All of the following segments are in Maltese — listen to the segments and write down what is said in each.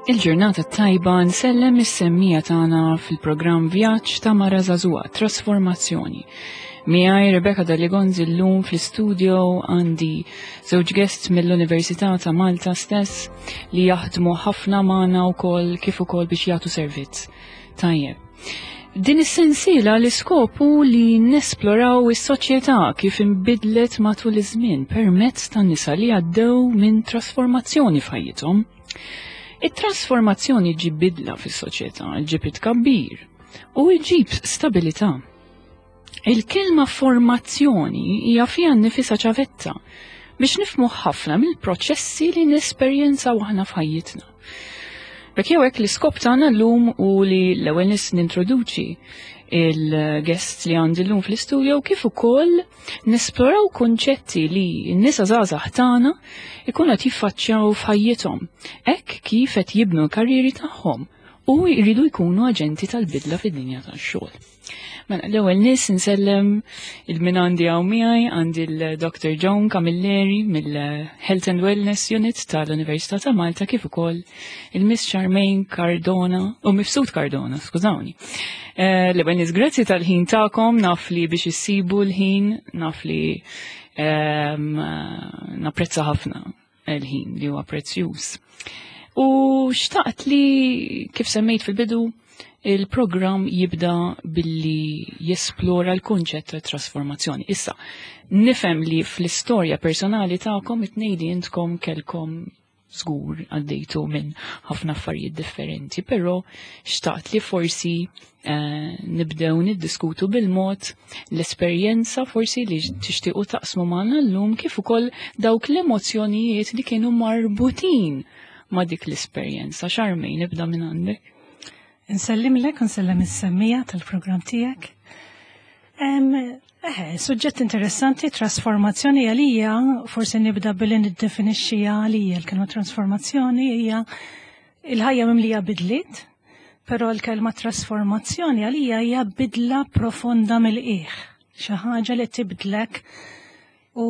Il-ġurnata tajba nsellem is-semmija tagħna fil-programm Vjaġġ ta' Mara Żagħżugħa Trasformazzjoni. Miegħi Rebecca Daligonzi llum fl-istudio għandi żewġ guests mill-Università ta' Malta stess li jaħdmu ħafna magħna wkoll kif ukoll biex jagħtu servizz. Tajjeb. Din is-sensiela l-iskop hu li nesploraw is-soċjetà kif inbidlet matul iż-żmien permezz ta' nisa li għaddew minn trasformazzjoni f'ħajjithom. It-trasformazzjoni ġib bidla fis-soċjetà, ġib it-tkabbir u ġib stabilità. Il-kelma formazzjoni hija fiha nnifisha ċavetta biex nifmu ħafna mill-proċessi li nesperjenzaw aħna f'ħajjitna. Bek jew hekk l-iskop tagħna llum u li l-ewwel nies nintroduċi il-guests li għandi llum fl-istudio kif ukoll Nesploraw kunċetti li n-nisa żgħażagħ tagħna ikunu qed jiffaċċjaw f'ħajjithom, hekk kif qed jibnu l-karrieri tagħhom u jridu jkunu aġenti tal-bidla fid-dinja tax-xogħol. Mela, l-ewwel nies insellem il-min għandi hawn miegħi għandi l-Dr. Joan Camilleri mill-Health and Wellness Unit tal-Università ta' Malta kif ukoll il-Miss Charmaine Cardona u Mifsud Cardona, skużawni. Eh, l-ewwel nies grazzi tal-ħin tagħkom, naf li biex issibu l-ħin, naf li ehm, napprezza ħafna l-ħin li huwa prezzjuż. U xtaqt li kif semmejt fil-bidu il-programm jibda billi jesplora l-kunċett ta' trasformazzjoni. Issa, nifhem li fl-istorja personali tagħkom it-tnejn intkom kelkom żgur għaddejtu minn ħafna affarijiet differenti, però xtaqt li forsi eh, nibdew niddiskutu bil-mod l-esperjenza forsi li tixtiequ taqsmu magħna llum kif ukoll dawk l-emozzjonijiet li kienu marbutin ma' dik l-esperjenza. Xarmejn nibda minn għandek. Nsellimlek, nsellem is-semmija tal-programm tiegħek. Eħe, suġġett interessanti, trasformazzjoni għalija, forsi nibda billi niddefinixxi għalija l-kelma trasformazzjoni hija il-ħajja mimlija bidliet, però l-kelma trasformazzjoni għalija hija bidla profonda mill-qiegħ, xi ħaġa li tibdlek u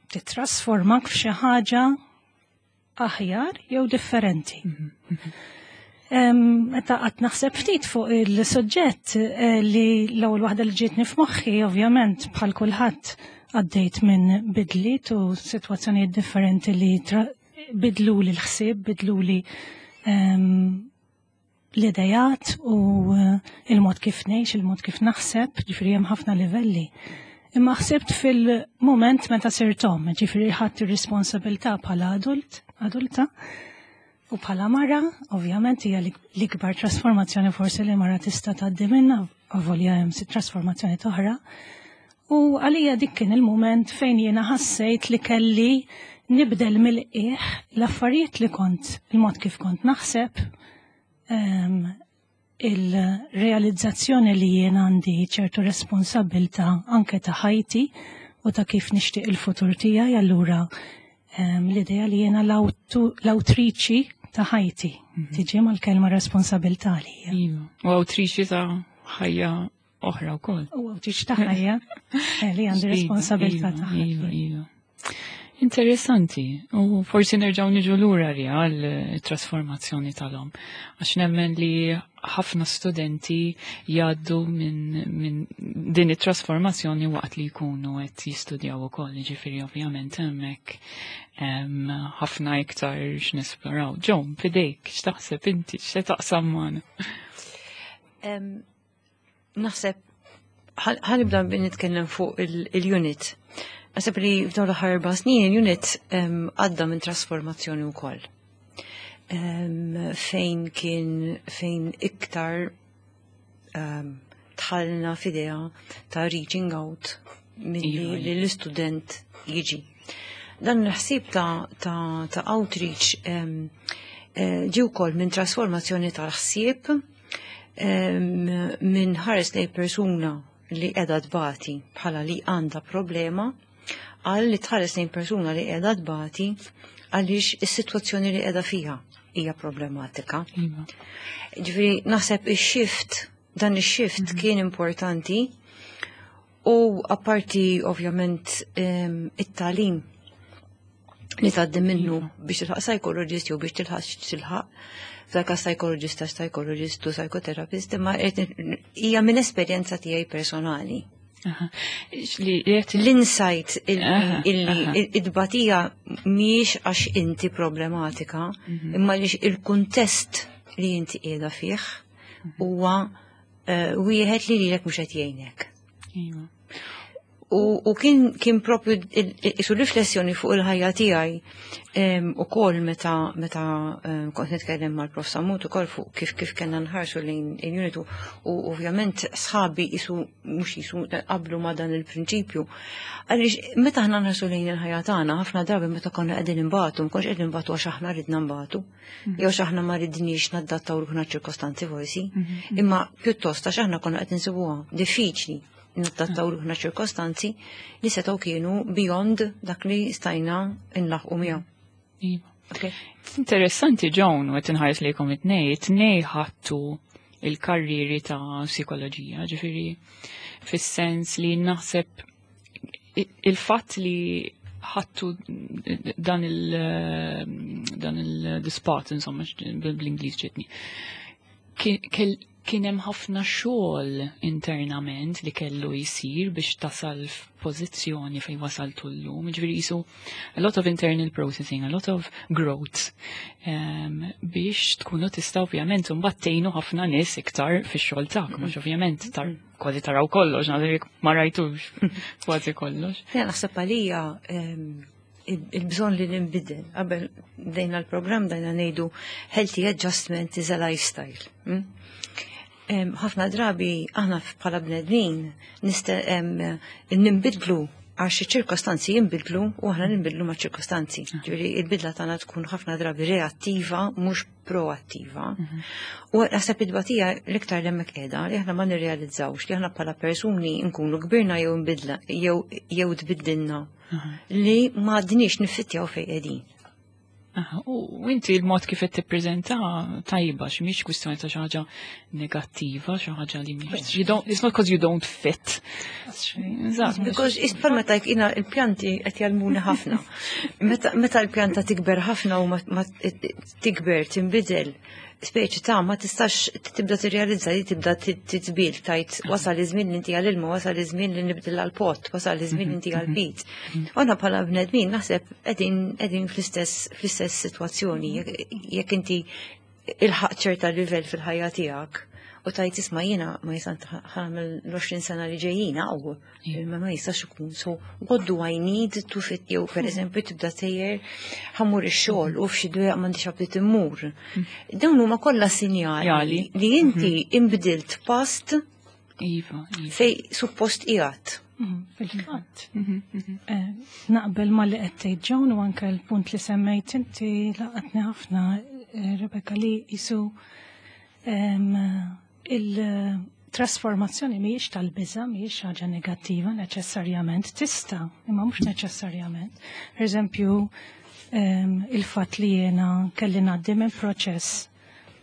titrasformak f'xi ħaġa aħjar jew differenti. Meta qatt naħseb ftit fuq il-suġġett eh, li l-ewwel waħda li ġietni f'moħħi ovvjament bħal kulħadd għaddejt minn bidliet u sitwazzjonijiet differenti li bidlu li l-ħsieb, bidlu li l-idejat u eh, il-mod kif ngħix, il-mod kif naħseb, ġifieri hemm ħafna livelli. Imma ħsibt fil-moment meta sirt omm, ġifieri ħadd ir-responsabilità bħala adult, adulta, u bħala mara, ovvjament hija l-ikbar trasformazzjoni forsi li mara tista' tgħaddi minnha, avolja hemm trasformazzjoni oħra. U għalija dik kien il-moment fejn jiena ħassejt li kelli nibdel mill-qiegħ l-affarijiet li kont, il-mod kif kont naħseb, ehm, il-realizzazzjoni li jien għandi ċertu responsabilta anke ta' ħajti u ta' kif nixtieq il-futur tiegħi allura ehm, l-idea li jiena l-awtriċi ta' ħajti mhm. tiġi mal-kelma responsabilta li. Iva. U awtriċi ta' ħajja oħra wkoll. U awtriċi ta' ħajja eh, li għandi responsabilità iva, ta' iva, iva. Interessanti, u forsi nerġaw niġu lura li għal trasformazzjoni tal-om. Għax nemmen li ħafna studenti jgħaddu minn min din it-trasformazzjoni waqt li jkunu qed jistudjaw ukoll, jiġifieri ovvjament hemmhekk ħafna iktar x'nesploraw. Ġon, fidejk, x'taħseb inti, x'se taqsam magħna? Naħseb ħanibda nitkellem fuq il-unit. Naħseb li f'dawn l-aħħar erba' snin il-unit għadda minn trasformazzjoni wkoll. Fejn kien fejn iktar tħallna f'idea ta' reaching out milli iva, li l-istudent jiġi. Dan il-ħsieb ta', ta, ta outreach eh, ġi wkoll minn trasformazzjoni tal-ħsieb minn ħares lej persuna li qiegħda tbati bħala li għandha problema għal li tħares lejn persuna li qiegħda tbati għaliex is-sitwazzjoni li qiegħda fiha hija problematika. Iva. Ġifieri naħseb ix-shift dan ix-shift mhm. kien importanti u apparti ovvjament it-talim. Li tgħaddi minnu biex tilħaq psychologist jew biex tilħaq tilħaq. F'dak psychologist ta' psychologist u psychotherapist, imma hija minn esperjenza tiegħi personali. L-insight illi id-batija mhijiex għax inti problematika, imma li il-kuntest li inti qiegħda fih huwa wieħed li lilek mhux qed jgħinek. Iva. U kien propju isu riflessjoni fuq il-ħajja tiegħi ukoll meta kont nitkellem mal-Prof Samut ukoll fuq kif kellna nħarsu lejn il-unit u ovvjament sħabi isu mhux jisu qablu ma' dan il-prinċipju. Għaliex meta aħna nħarsu lejn il-ħajja tagħna ħafna drabi meta konna qegħdin imbatu, ma konx qegħdin imbatu għax aħna ridna nbatu, jew għax aħna ma ridniex nadattaw ruħna ċirkostanzi forsi, imma pjuttost għax aħna konna qed insibuha diffiċli nadattaw ruħna ċirkostanzi li setgħu kienu beyond dak li stajna nlaħqu miegħu. Iva. Interessanti, Joan, u qed inħares lejkom it-tnej, it-tnej ħadtu il-karriri ta' psikoloġija, ġifieri fis-sens li naħseb il-fatt li ħadtu dan il-spot, insomma, bl-Ingliż ġietni. Kien hemm ħafna xogħol internament li kellu jsir biex tasal f'pożizzjoni fejn wasaltu llum. Ġifieri jisu a lot of internal processing, a lot of growth biex tkunu tista' ovvjament imbagħad tgħinu ħafna nies iktar fix-xogħol tagħkom, mhux ovvjament tar kważi taraw kollox, naħseb ma rajtux kważi kollox. Ja, naħseb għalija il-bżonn li nbidel. Qabel bdejna l-programm dajna ngħidu healthy adjustment is a lifestyle. Ħafna drabi aħna bħala bnedmin nimbidlu għax ċirkostanzi jinbidlu u aħna ninbidlu ma' ċirkostanzi. Ġifieri il-bidla tagħna tkun ħafna drabi reattiva mhux proattiva. U naħseb id-batija l-iktar li hemmhekk qiegħda li aħna ma nirrealizzawx li aħna bħala persuni nkunu kbirna jew nbidla jew tbiddilna li ma għadniex niffittjaw fejn qegħdin. U inti il-mod kif qed tippreżenta tajba x'mhix kwistjoni ta' xi ħaġa negattiva, xi ħaġa li mhix. You don't, it's not because you don't fit. Eżatt. Because bħal meta jina il-pjanti qed jgħallmuni ħafna. Meta l-pjanta tikber ħafna u ma tikber tinbidel, speċi ta' ma tistax tibda tirrealizza li tibda titbil tajt wasal iż-żmien li inti għal-ilma, wasal iż-żmien li nibdil għal-pot, wasal iż-żmien li inti għal-pit. Aħna bħala bnedmin naħseb qegħdin fl-istess sitwazzjoni jekk inti ilħaq ċerta livell fil-ħajja tiegħek u tajt isma' jiena ma jistax ħa nagħmel l-20 sena li ġejjin hawn, ma ma jistax ikun. So what do I need to fit jew per eżempju tibda sejjer ħa mmur ix-xogħol u f'xi dwejjaq m'għandix aptit immur. Dawn huma kollha sinjali Jali. li inti imbdilt past Iva. fej suppost qiegħed. Fil-fatt. Naqbel ma li qed tgħid Joan u anke l-punt li semmejt inti laqatni ħafna, Rebecca, li jisu il-trasformazzjoni mhijiex tal-biża', mhijiex ħaġa negattiva neċessarjament, tista', imma mhux neċessarjament. Per eżempju, il-fatt li jiena kelli ngħaddi minn proċess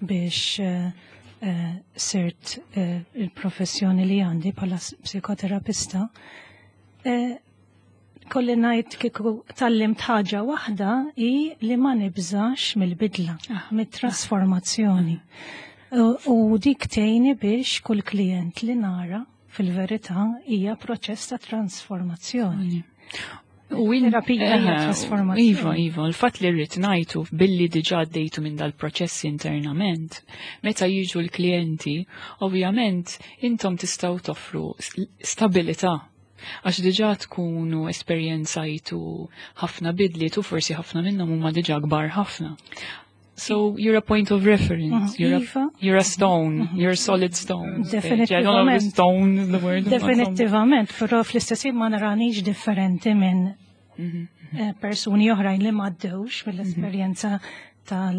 biex sirt il-professjoni li għandi bħala psikoterapista, kolli ngħid kieku tgħallimt ħaġa waħda hi li ma nibżax mill-bidla, mit-trasformazzjoni. U dik tgħinni biex kull klient li nara fil-verità hija proċess ta' trasformazzjoni. U Terapija hija trasformazzjoni. Iva, il-fatt li rrid ngħidu billi diġà għaddejtu minn dal-proċess internament, meta jiġu l-klijenti, ovvjament intom tistgħu toffru stabilità. Għax diġà tkunu esperjenzajtu ħafna bidliet u forsi ħafna minnhom huma diġà kbar ħafna. So you're a point of reference. You're a stone. You're a solid stone. I don't know if stone is the word. Definitivament, però fl-istess ħin ma naranix differenti minn persuni oħrajn li m'għaddewx mill-esperjenza tal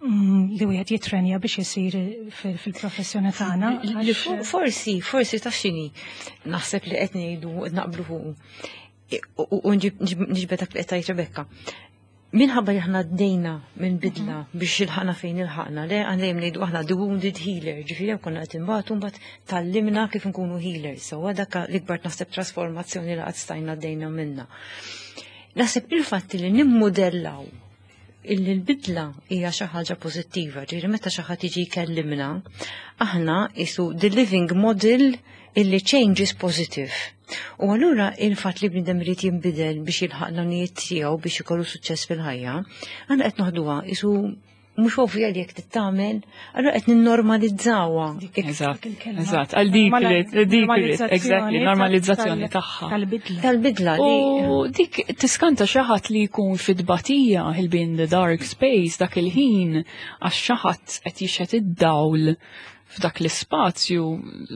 li wieħed jitrenja biex isir fil-professjoni tagħna. Li forsi ta' xini, naħseb li qed ngħidu naqblu fuq. U nġibed dak li qed tgħid Rebecca. Minħabba li aħna għaddejna minn bidla biex ilħaqna fejn ilħaqna, le għandna dejjem ngħidu aħna the wounded healer, ġifieri hemm konna qed inbatu mbagħad tgħallimna kif nkunu healers. So dak l-ikbar naħseb trasformazzjoni li qatt stajna għaddejna minna. Naħseb il-fatt li nimmudellaw illi l-bidla hija xi ħaġa pożittiva, ġifieri meta xi ħadd jiġi jkellimna, aħna qisu the living model illi change is positive. U allura il-fatt li bniedem irid jinbidel biex jilħaq l-għanijiet tiegħu biex ikollu suċċess fil-ħajja, aħna qed noħduha qisu mhux ovvja li jekk tittamel, allura qed ninnormalizzawha. Eżatt, għal dik dik exactly, normalizzazzjoni tagħha. Tal-bidla. Tal-bidla li. U dik tiskanta xi ħadd li jkun fid-batija he'll be in the dark space dak il-ħin għax xi ħadd qed jixħet id-dawl f'dak l-ispazju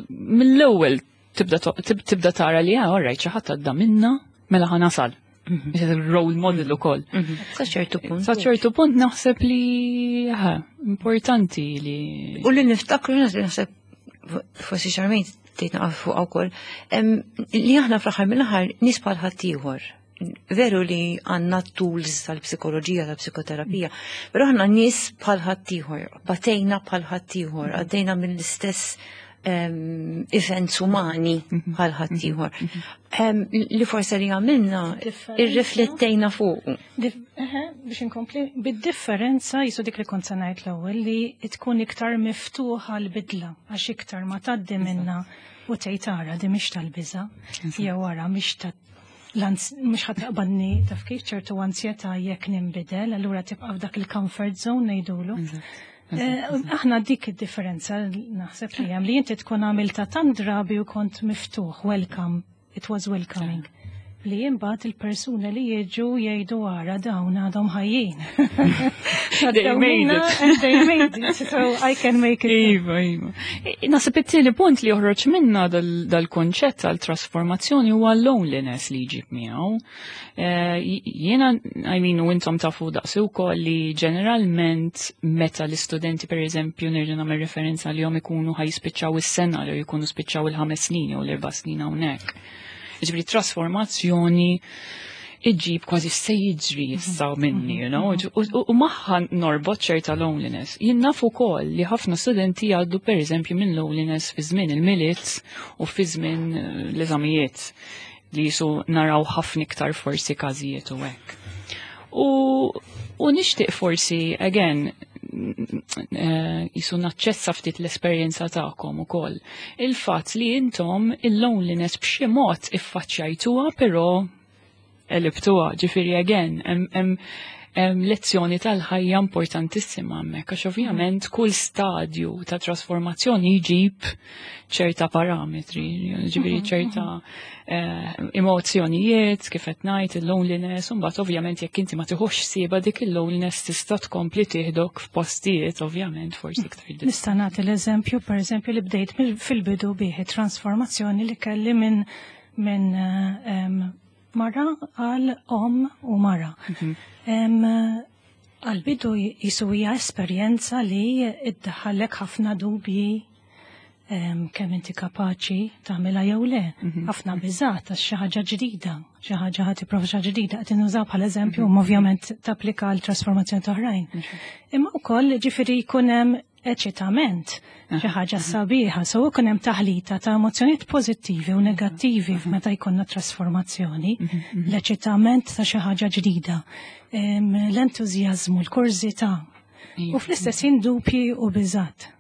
mill-ewwel tibda tara li ah, alright, xi ħadd għadda minna mela ħa nasal. Role model ukoll. Sa ċertu punt. Sa ċertu punt naħseb li ha, importanti li. U li niftakru naħseb forsi Charmaine tgħid naqaf fuq ukoll, li aħna fl-aħħar mill-aħħar nies bħal ħaddieħor. Veru li għandna tools tal-psikoloġija, tal-psikoterapija, però aħna nies bħal ħaddieħor, batejna bħal ħaddieħor, għaddejna mill-istess events umani bħal ħaddieħor. Li forse li għamilna irriflettejna fuq. Biex inkompli, bid-differenza jisu dik li kont se ngħid l-ewwel li tkun iktar miftuħa l-bidla għax iktar ma tgħaddi minna u tgħid ara di mhix tal-biża' jew ara mhix ta' mhux ħadd taqbadni taf kif ċertu ansjetà jekk ninbidel, allura tibqa' f'dak il-comfort zone ngħidulu. Aħna dik id-differenza naħseb li hemm li inti tkun għamilta tant drabi u kont miftuħ, welcome, it was welcoming. Li imbagħad il-persuna li jiġu jgħidu ara dawn għadhom ħajjin. They made it. And they made it, so I can make it. Iva. Naħseb it-tieni punt li joħroġ minna dal-konċett tal-trasformazzjoni huwa loneliness li jġib miegħu. Jiena, I mean, u intom tafu daqsi wkoll li ġeneralment meta l-istudenti per eżempju nerġa' nagħmel referenza li jom ikunu ħa jispiċċaw is-sena li jkunu spiċċaw il-5 snin jew l-4 snin hawnhekk. Ġifieri trasformazzjoni iġib kważi se jiġri issa minni, you know, u magħha norbot ċerta loneliness. Jien naf ukoll li ħafna studenti jgħaddu per eżempju minn loneliness fi żmien il-Milied u fi żmien l-eżamijiet li jisu naraw ħafna iktar forsi każijiet u hekk. U nixtieq forsi, again, jisu naċċessa ftit l-esperjenza tagħkom ukoll. Il-fatt li intom il-loneliness b'xi mod iffaċċjajtuha però għelibtuha, ġifieri again, hemm lezzjoni tal-ħajja importantissima hemmhekk, għax ovvjament kull stadju ta' trasformazzjoni jġib ċerta parametri, ġifieri ċerta emozzjonijiet, kif qed ngħid, il-loneliness, u mbagħad ovvjament jekk inti ma tiħux sieba dik il-loneliness tista' tkompli tieħdok f'postijiet ovvjament forsi iktar diffiċli. Nista' nagħti l-eżempju, pereżempju, li bdejt fil-bidu bih trasformazzjoni li kelli minn mara għal om u mara. Għal-bidu jisu hija esperjenza li iddaħħallek ħafna dubji kemm inti kapaċi tagħmilha jew le. Ħafna biżgħat għax xi ħaġa ġdida, xi ħaġa ħa tipprova xi ħaġa ġdida qed innużaw bħala eżempju, u ovvjament tapplika għal trasformazzjoni ta' oħrajn. Imma wkoll ġifieri jkun hemm eċitament, xi ħaġa sabiħa, so jkun hemm taħlita ta' emozzjonijiet pożittivi u negattivi meta jkollna trasformazzjoni, l-eċitament ta' xi ħaġa ġdida, l-entużjażmu, l-kurżità, u fl-istess ħin dubji u biżgħat.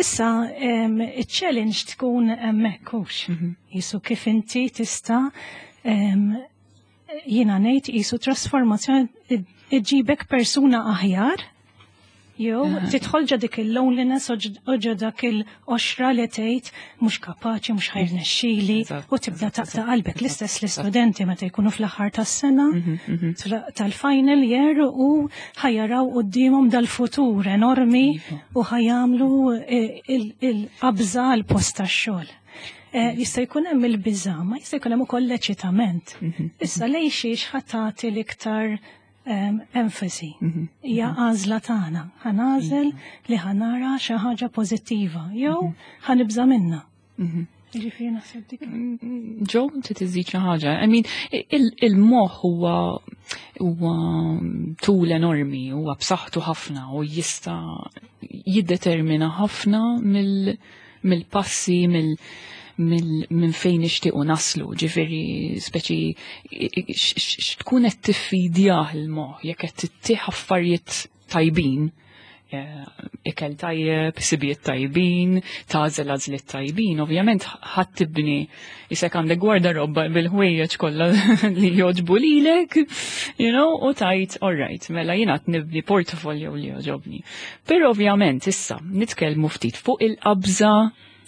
Issa, il-challenge tkun hemmhekk hux. Jisu kif inti tista' jiena ngħid jisu trasformazzjoni iġibek persuna aħjar, jew tidħol ġo dik il-loneliness u ġo dak il-qoxra li tgħid mhux kapaċi, mhux ħa jirnexxili, u tibda taqta' qalbek. L-istess l-istudenti meta jkunu fl-aħħar tas-sena tal-final year u ħa jaraw quddiemhom dal-futur enormi u ħa jagħmlu il-qabża għal post tax-xogħol. Jista' jkun hemm il-biża', ma jista' jkun hemm ukoll l-eċitament. Issa lejn xiex ħa tagħti l-iktar enfasi. Hija għażla tagħna. Ħa nagħżel li ħa nara xi ħaġa pożittiva jew ħa nibża' minnha. Ġifieri naħseb dik. Ġo, inti tiżid xi ħaġa. I mean, il-moħħ huwa tool enormi, huwa b'saħħtu ħafna u jista' jiddetermina ħafna mill-passi, minn fejn nixtiequ naslu, ġifieri speċi x'tkun qed tiffidjah il-moħħ jekk qed tittih affarijiet tajbin, ikel tajjeb, sibijiet tajbin, tagħżel għażliet tajbin, ovvjament ħadd tibni isek għandek gwardarobba bil-ħwejjeġ kollha li jogħġbu lilek, u tajt, all right, mela jiena qed nibni portfolio li jogħġobni. Però ovvjament issa nitkellmu ftit fuq il-qabża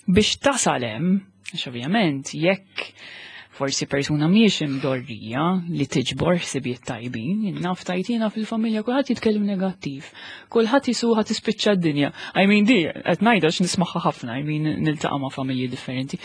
biex tasal hemm, għax ovvjament jekk forsi persuna mhijiex imdorrija li tiġbor ħsibijiet tajbin, naf tajtina fil-familja kulħadd jitkellem negattiv, kulħadd jisuha tispiċċa d-dinja. I mean di, qed ngħidha nismagħha ħafna, I mean niltaqa' ma' familji differenti.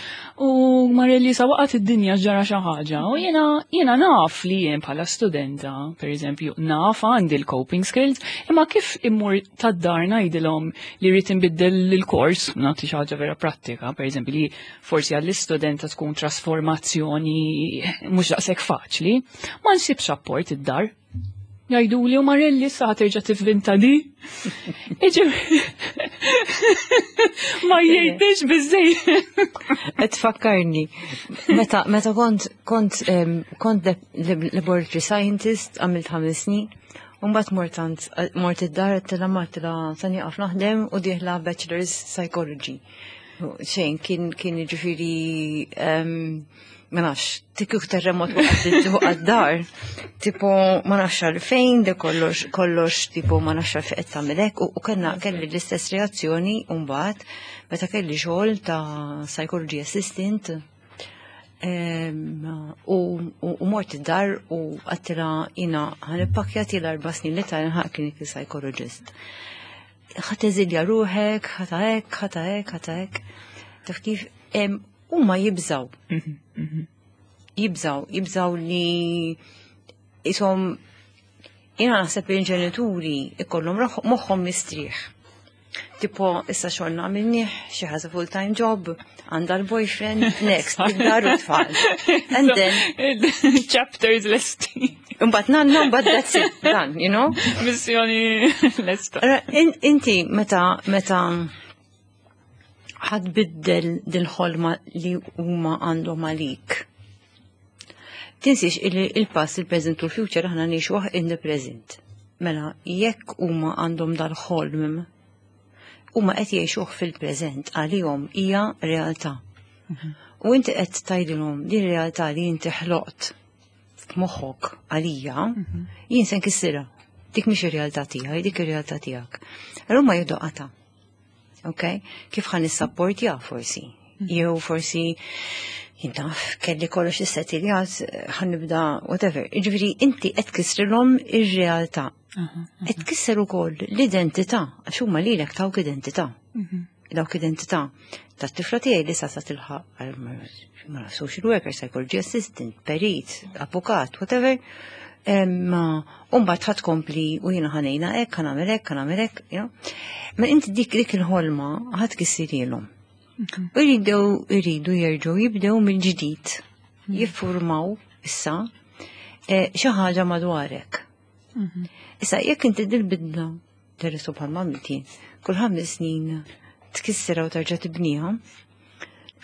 U Marelli sa waqgħet id-dinja ġara xi ħaġa u jiena naf li jien bħala studenta, per eżempju, naf għandi l-coping skills, imma kif immur tad-dar ngħidilhom li rrid inbiddel il-kors, nagħti xi ħaġa vera prattika, per eżempju, li forsi għall-istudenta tkun trasformazzjoni mhux daqshekk faċli, ma nsibx apport id-dar. Jgħidu li u Marelli sa terġa' tivvinta di. Iġi ma jgħidx biżejjed. Qed tfakkarni, meta kont laboratory scientist għamilt 5 snin, u mbagħad mort id-dar għedtilha ma għedtilha sa nieqaf naħdem u dieħla Bachelor's Psychology. Xejn, kien ġifieri ma nafx, tikuk terremot waqt għad-dar, tipo ma nafx għalfejn, de kollox, kollox, tipo ma nafx għalfejn qed tagħmel hekk, u kelli l-istess reazzjoni mbagħad meta kelli xogħol ta' psychology assistant u mort id-dar u għedtilha jiena ħa nippakkja l-4 snin li ta' nħaq clinical psychologist. Ħa teżilja ruħek, ħa ta' hekk, ħa ta' hekk, ħa ta' hekk. Taf kif, huma jibżaw. Jibżaw, jibżaw li jisom jiena naħseb li l-ġenituri ikollhom moħħhom mistrieħ. Tipo, issa xogħolna għamilnieh, xi ħaġa full-time job, għandha l-boyfriend, next, id-dar u tfal. And then chapters lesti. Mbagħad nanna, mbagħad that's it, done, you know? Missjoni lesta. Inti meta ħa tbiddel dil-ħolma li huma għandhom għalik. Tinsiex il-past, il-present u l-future aħna ngħixuh in the present. Mela, jekk huma għandhom dal-ħolm, huma qed jgħixuh fil-preżent, għalihom hija realtà. U inti qed tgħidilhom din realtà li inti ħloqt f'moħħok għalija, jien se nkissirha. Dik mhix ir-realtà tiegħi, dik ir-realtà tiegħek. Allura ma jieħdu qata. Ok? Kif ħa nissapportja forsi? Jew forsi jintaf kelli kollox issettiljat, ħa nibda whatever. Ġifieri inti qed tkissrilhom ir-realtà. Qed tkisser ukoll l-identità, għax huma lilek tawk identità. Dawk identità tat-tifla tiegħi li sa sa tilħaq ma social worker, psychology assistant, perit, avukat, whatever. Umbagħad ħa tkompli u jiena ħa ngħinha hekk, ħa nagħmel hekk, ħa nagħmel hekk, you know. Ma inti dik il-ħolma ħa tkissirhielhom. U jridu jerġgħu jibdew mill-ġdid, jiffurmaw issa xi ħaġa madwarek. Issa jekk inti dil-bidla terresu bħal għamilt jien, kull 5 snin tkissira u terġa' tibniha,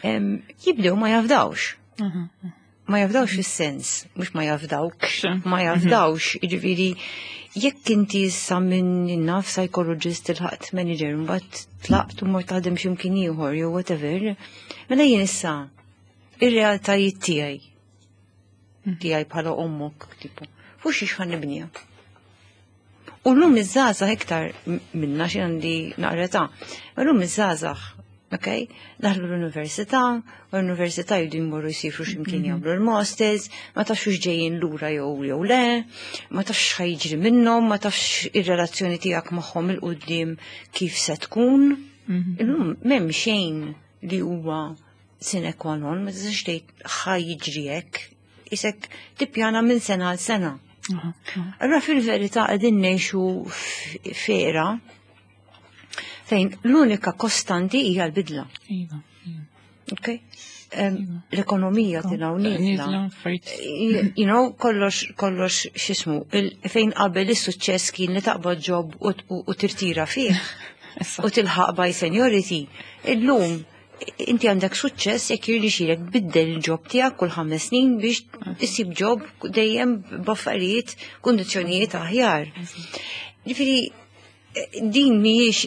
jibdew ma jafdawx. Ma jafdawx fis-sens, mhux ma jafdawx, ma jafdawx, jiġifieri jekk inti issa minn naf psychologist ilħaqt manager, mbagħad tlaqt u mort taħdem x'imkien ieħor jew whatever, mela jien issa ir-realtajiet tiegħi bħala ommok, tipo, fuq xiex ħa nibniha. U l-lum iż-żgħażagħ iktar minna xi għandi naqra ta' ma l-lum iż-żgħażagħ, ok, daħlu l-università, u l-università jridu jmorru jsifru x'imkien jagħmlu l-masters, ma tafx hux ġejjin lura jew le, ma tafx x'ħa jiġri minnhom, ma tafx ir-relazzjoni tiegħek magħhom il-quddiem kif se tkun. Illum m'hemm xejn li huwa sine qua non, ma tistax tgħid ħa jiġri hekk, isek tippjana minn sena għal sena. Allura fil-verità qegħdin ngħixu f'era fejn l-unika kostanti hija l-bidla. Iva. Ok? L-ekonomija tilgħu nieżla. Kollox, x'ismu, fejn qabel is-suċċess kien li taqbad job u tirtira fih u tilħaq by seniority. Illum Inti għandek suċċess jekk jirnexxielek tbiddel il-job tiegħek kull 5 snin biex issib job dejjem b'affarijiet, kundizzjonijiet aħjar. Ġifieri din mhijiex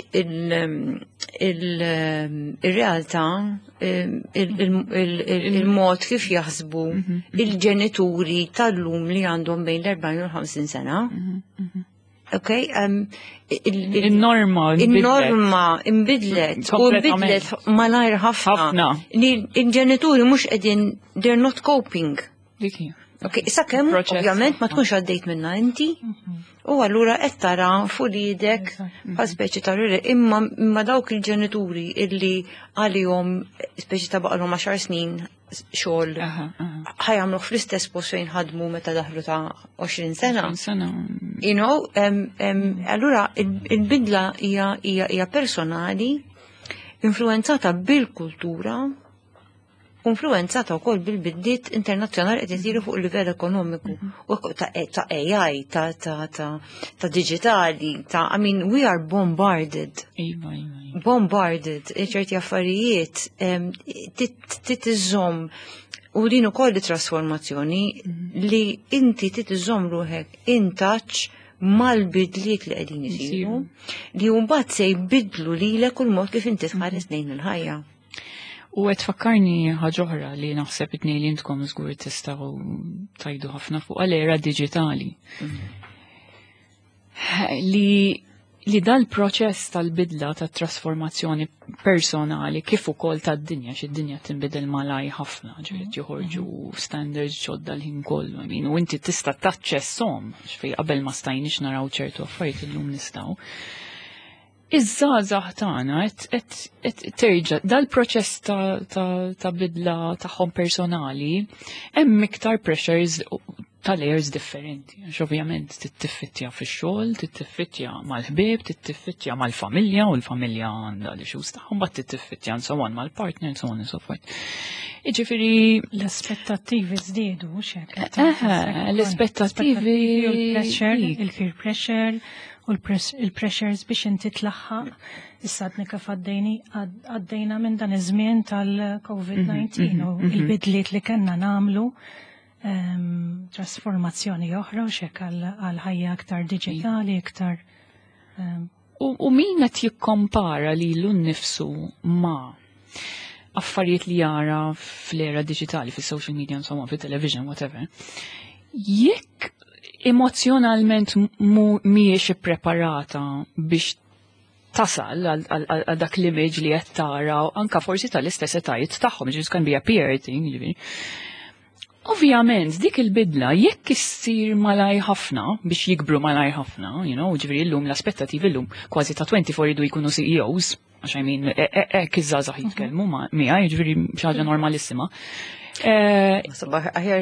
il-realtà, il-mod kif jaħsbu il-ġenituri tal-lum li għandhom bejn l-40 u l-50 sena. Ok, Il-norma. Il-norma imbidlet u imbidlet malajr ħafna. Li il-ġenituri mhux qegħdin, they're not coping. Ok, sakemm ovvjament ma tkunx għaddejt minna inti u allura qed tara fuq idek bħal speċi ta' imma dawk il-ġenituri illi għalihom speċi ta' baqalhom 10 snin xogħol ħa jagħmluh fl-istess post fejn ħadmu meta daħlu ta' 20 sena. Sena. Allura il-bidla hija personali, influenzata bil-kultura, influenzata wkoll bil-bidliet internazzjonali qed isiru fuq il-livell ekonomiku u ta' AI, ta' digitali, ta' I mean, we are bombarded. Iva, iva, iva. Bombarded, ċerti affarijiet titiżomm u din ukoll trasformazzjoni li inti titiżomm ruħek in touch mal-bidliet li qegħdin isiru li mbagħad se jbidlu lilek u l-mod kif inti tħares lejn il-ħajja. U qed fakkarni ħaġa oħra li naħseb it li intkom żgur tistgħu tajdu ħafna fuq l-era diġitali. Li dal-proċess tal-bidla tat-trasformazzjoni personali kif ukoll tad-dinja, xi dinja tinbidel malaj ħafna, ġifieri joħorġu standards ġodda l-ħin kollu, I mean, u inti tista' taċċesshom, xfej qabel ma stajniex naraw ċertu affarijiet, illum nistgħu. Iż-żgħażagħ tagħna qed terġa' dal-proċess ta' bidla tagħhom personali hemm iktar pressures ta' layers differenti. Għax ovvjament tittiffittja fix-xogħol, tittiffittja mal-ħbieb, tittiffittja mal-familja u l-familja għandha l-issues tagħhom, bat tittiffittja and so on mal-partner and so on and so forth. Jiġifieri L-aspettattivi żdiedu, mhux hekk? L-aspettattivi Il-pressure, il-peer pressure u l-pressures biex inti tlaħħaq. Issa għadni kif għaddejna minn dan iż-żmien tal-COVID-19 u il-bidliet li kellna nagħmlu, trasformazzjoni oħra u xek għal ħajja aktar digitali, iktar U min qed jikkompara lilu nnifsu ma' affarijiet li jara fl-era digitali, fis-social media, insomma, fit-television, whatever. Jekk emozjonalment mhijiex ippreparata biex tasal għal dak l-image li qed tara, anka forsi tal-istess etajiet tagħhom, ġifieri can be a peer thing, ġifieri. Ovvjament, dik il-bidla, jekk issir malaj ħafna, biex jikbru malaj ħafna, ġifieri llum l-aspettativi llum kważi ta' 24 jridu jkunu CEOs, għax I mean, hekk iż-żgħażagħ jitkellmu miegħi, ġifieri xi ħaġa normalissima. Sabaħ, aħjar,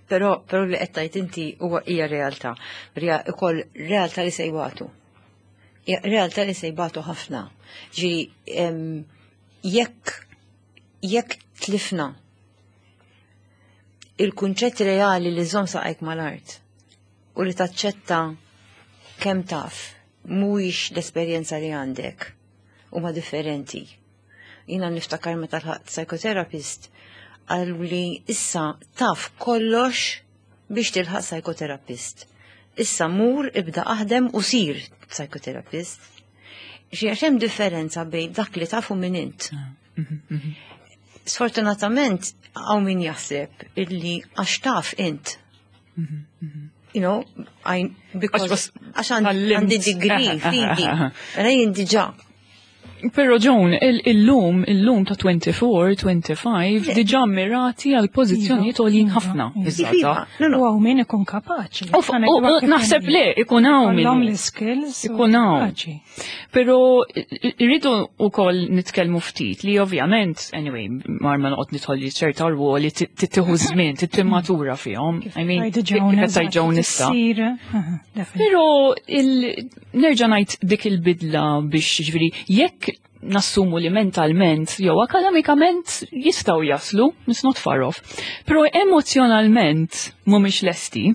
però li qed tgħid inti huwa hija realtà. Ukoll realtà li se jbatu. Hija realtà li se jbatu ħafna. Ġifieri, jekk tlifna il-kunċett reali li żomm saqajk mal-art u li taċċetta kemm taf mhuwiex l-esperjenza li għandek huma differenti. Jiena niftakar meta lħaqt psychotherapist, qalu li issa taf kollox biex tilħaq psychotherapist. Issa mur ibda aħdem u sir psychotherapist. Xi għax hemm differenza bejn dak li tafu minn int. Sfortunatament hawn min jaħseb illi għax taf int. I, because għax għandi degree fidi. Mela jien diġà. Pero Joan, illum ta' 24, 25, diġà mirati għal pożizzjonijiet għoljin ħafna. Iva, u hawn min ikun kapaċi. U naħseb li ikun hawn min. L-skills. Ikun hawn. Pero rridu ukoll nitkellmu ftit li ovvjament, anyway, mar ma noqgħod nidħol li ċerta rwoli tittieħu żmien, tittimmatura fihom. I mean, kif qed Joan issa. Pero nerġa' ngħid dik il-bidla biex, ġifieri, jekk nassumu li mentalment jew akademikament jistgħu jaslu, it's not far off. Pero emozjonalment mhumiex lesti.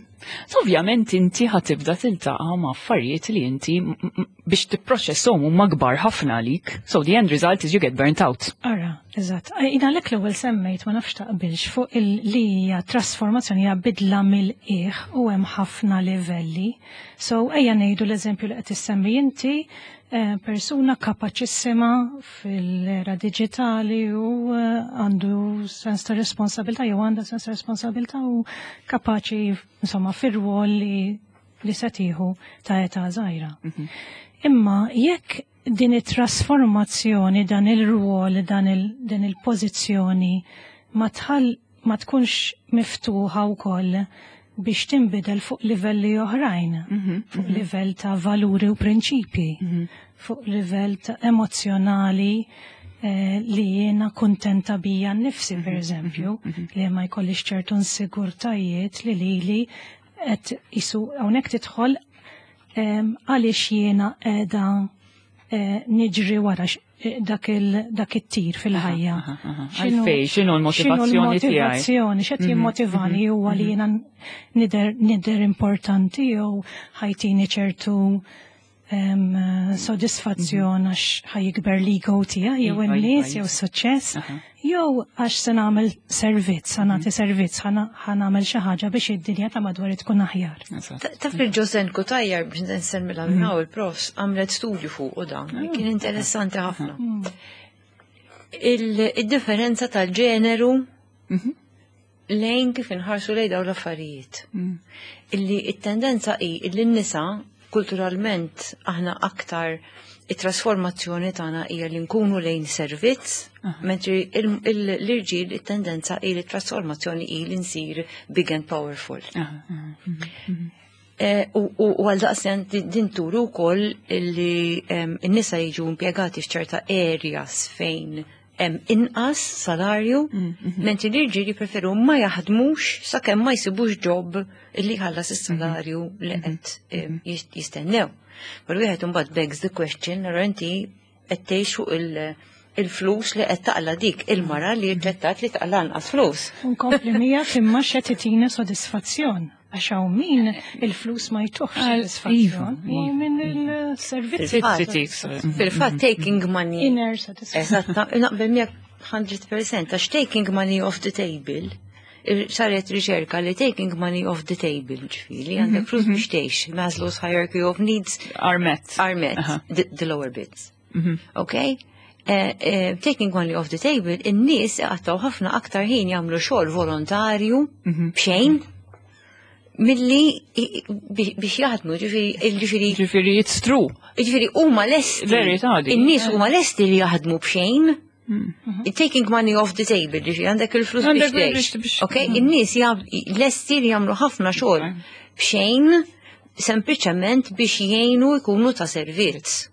So ovvjament inti ħa tibda tiltaqa' ma' affarijiet li inti biex tipproċesshom huma kbar ħafna għalik. So the end result is you get burnt out. Ara. Eżatt. Jien għalhekk l-ewwel semmejt ma nafx taqbilx fuq li hija trasformazzjoni hija bidla mill-qiegħ u hemm ħafna livelli. So ejja ngħidu l-eżempju li qed issemmi inti eh, persuna kapaċissima fil-era diġitali u eh, għandu sens ta' responsabilità jew għandha sens ta' responsabilità u kapaċi insomma fir-rwol li li se tieħu ta' età żgħira. Imma jekk din it-trasformazzjoni, dan il-rwol, dan il, din il-pożizzjoni ma tħall ma tkunx miftuħa wkoll biex tinbidel fuq livelli oħrajn, fuq livell ta' valuri u prinċipji, fuq livell ta' emozjonali eh, li jiena kuntenta bija nnifsi, per eżempju, li ma jkollix ċertu insigurtajiet li lili qed isu hawnhekk tidħol għaliex jiena qiegħda eh, niġri wara dak dak it-tir fil-ħajja. Għalfej, x'inhu l-motivazzjoni tiegħi? X'inhu l-motivazzjoni, x'qed jimmotivani huwa li jiena nidher nidher importanti jew ħa jtini ċertu sodisfazzjon għax ħa jikber l-ego tiegħi jew in-nies jew suċċess jew għax se nagħmel servizz, ħa nagħti servizz, ħa nagħmel xi ħaġa biex id-dinja ta' madwar tkun aħjar. Taf li Josanne Cutajar biex nsemmilha minn hawn il-profs għamlet studju fuq u dan, kien interessanti ħafna. Il-differenza tal-ġeneru lejn kif inħarsu lejn dawn l-affarijiet. Illi it-tendenza hi illi n-nisa kulturalment aħna aktar it-trasformazzjoni tagħna hija li nkunu lejn servizz, mentri l-irġiel it-tendenza hi li trasformazzjoni hi li nsir big and powerful. U għal daqstant din turu wkoll li n-nisa jiġu impjegati f'ċerta areas fejn hemm inqas salarju, mentri l-irġiel jippreferu ma jaħdmux sakemm ma jsibux job illi jħallas is-salarju li qed jistennew. Però wieħed imbagħad begs the question, allura inti qed tgħix fuq il-flus li qed taqla dik il-mara li rġettat li taqla anqas flus. Nkompli miegħek imma x'qed itina sodisfazzjon. Għax hawn min il-flus ma jtuhx sodisfazzjon. U min il-servizzi. Fil-fatt taking money. Inner satisfaction. Eżatt, naqbel miegħek 100% għax taking money off the table saret riċerka li taking money off the table, ġifieri, għandek flus biex tgħix, Maslow's hierarchy of needs Are met. Are met, the lower bits. Okay? Taking money off the table, in-nies għattaw ħafna aktar ħin jagħmlu xogħol volontarju b'xejn milli biex jaħdmu, ġifieri Ġifieri it's true. Ġifieri huma lesti. Verità di. In-nies huma lesti li jaħdmu b'xejn. Taking money off the table, ġifieri għandek il-flus biex Għandek tgħix. biex Ok, in-nies lesti li jagħmlu ħafna xogħol b'xejn sempliċement biex jgħinu jkunu ta' servizz.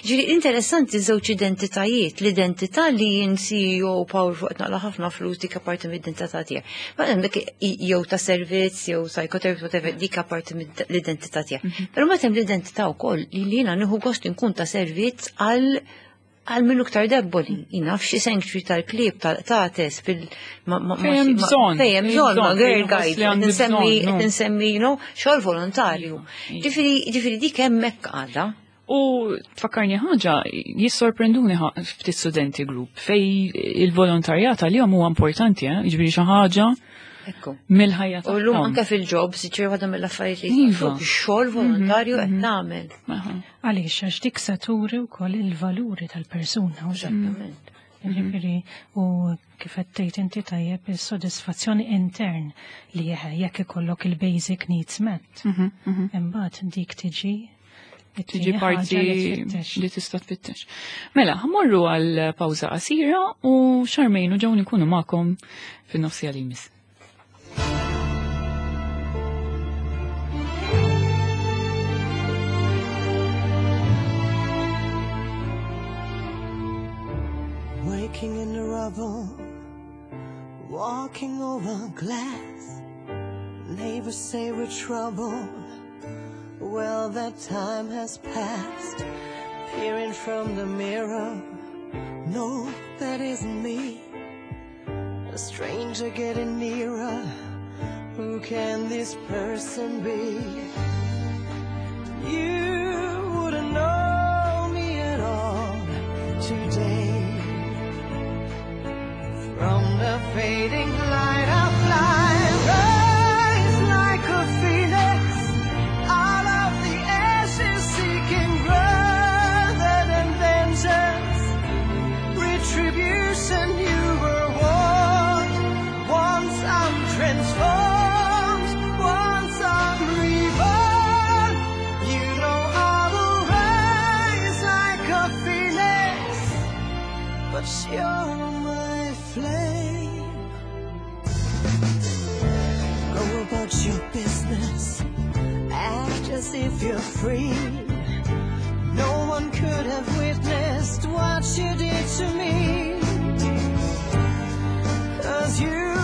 Ġifieri interessanti żewġ identitajiet, l-identità li jien CEO powerful qed naqla ħafna flus dik apparti mid-identità tiegħek. Ma hemmhekk jew ta' servizz jew psychotherapist whatever dik apparti mill-identità tiegħek. Però meta hemm l-identità wkoll li jiena nieħu gost inkun ta' servizz għal minnu iktar debboli. Jina f'xi sanctuary tal-klieb tal-qtates fil Fejn hemm bżonn, fejn hemm fejn bżonn, ma' bżonn, girl fejn guide, li għandi bżonn, no. qed nsemmi, xogħol volontarju. Ġifieri dik hemmhekk għadha. U tfakkarni ħaġa, jissorprenduni ftit studenti group fej il-volontarjat għalihom huwa importanti, eh? Ġifieri xi ħaġa mill-ħajja U llum tagħhom. anke fil-jobs, ġifieri waħda mill-affarijiet li xogħol volontarju qed tagħmel. Għaliex għax dik se turi wkoll il-valuri tal-persuna. U Eżattament. Ġifieri, u kif qed tgħid inti tajjeb is-sodisfazzjoni intern li jekk ikollok il-basic needs met. Imbagħad dik tiġi Tiġi it-tieni parti ħaġa li tfittex. li tista' tfittex. Mela, ħa mmorru għal pawża qasira u Charmaine u Joan ikunu magħkom fin-nofsija li jmiss. Waking in the rubble, walking over glass. Neighbors say we're trouble. Well, that time has passed. Peering from the mirror, no, that isn't me. A stranger getting nearer. Who can this person be? You wouldn't know me at all today. But you're my flame. Go about your business, act as if you're free. No one could have witnessed what you did to me. 'Cause you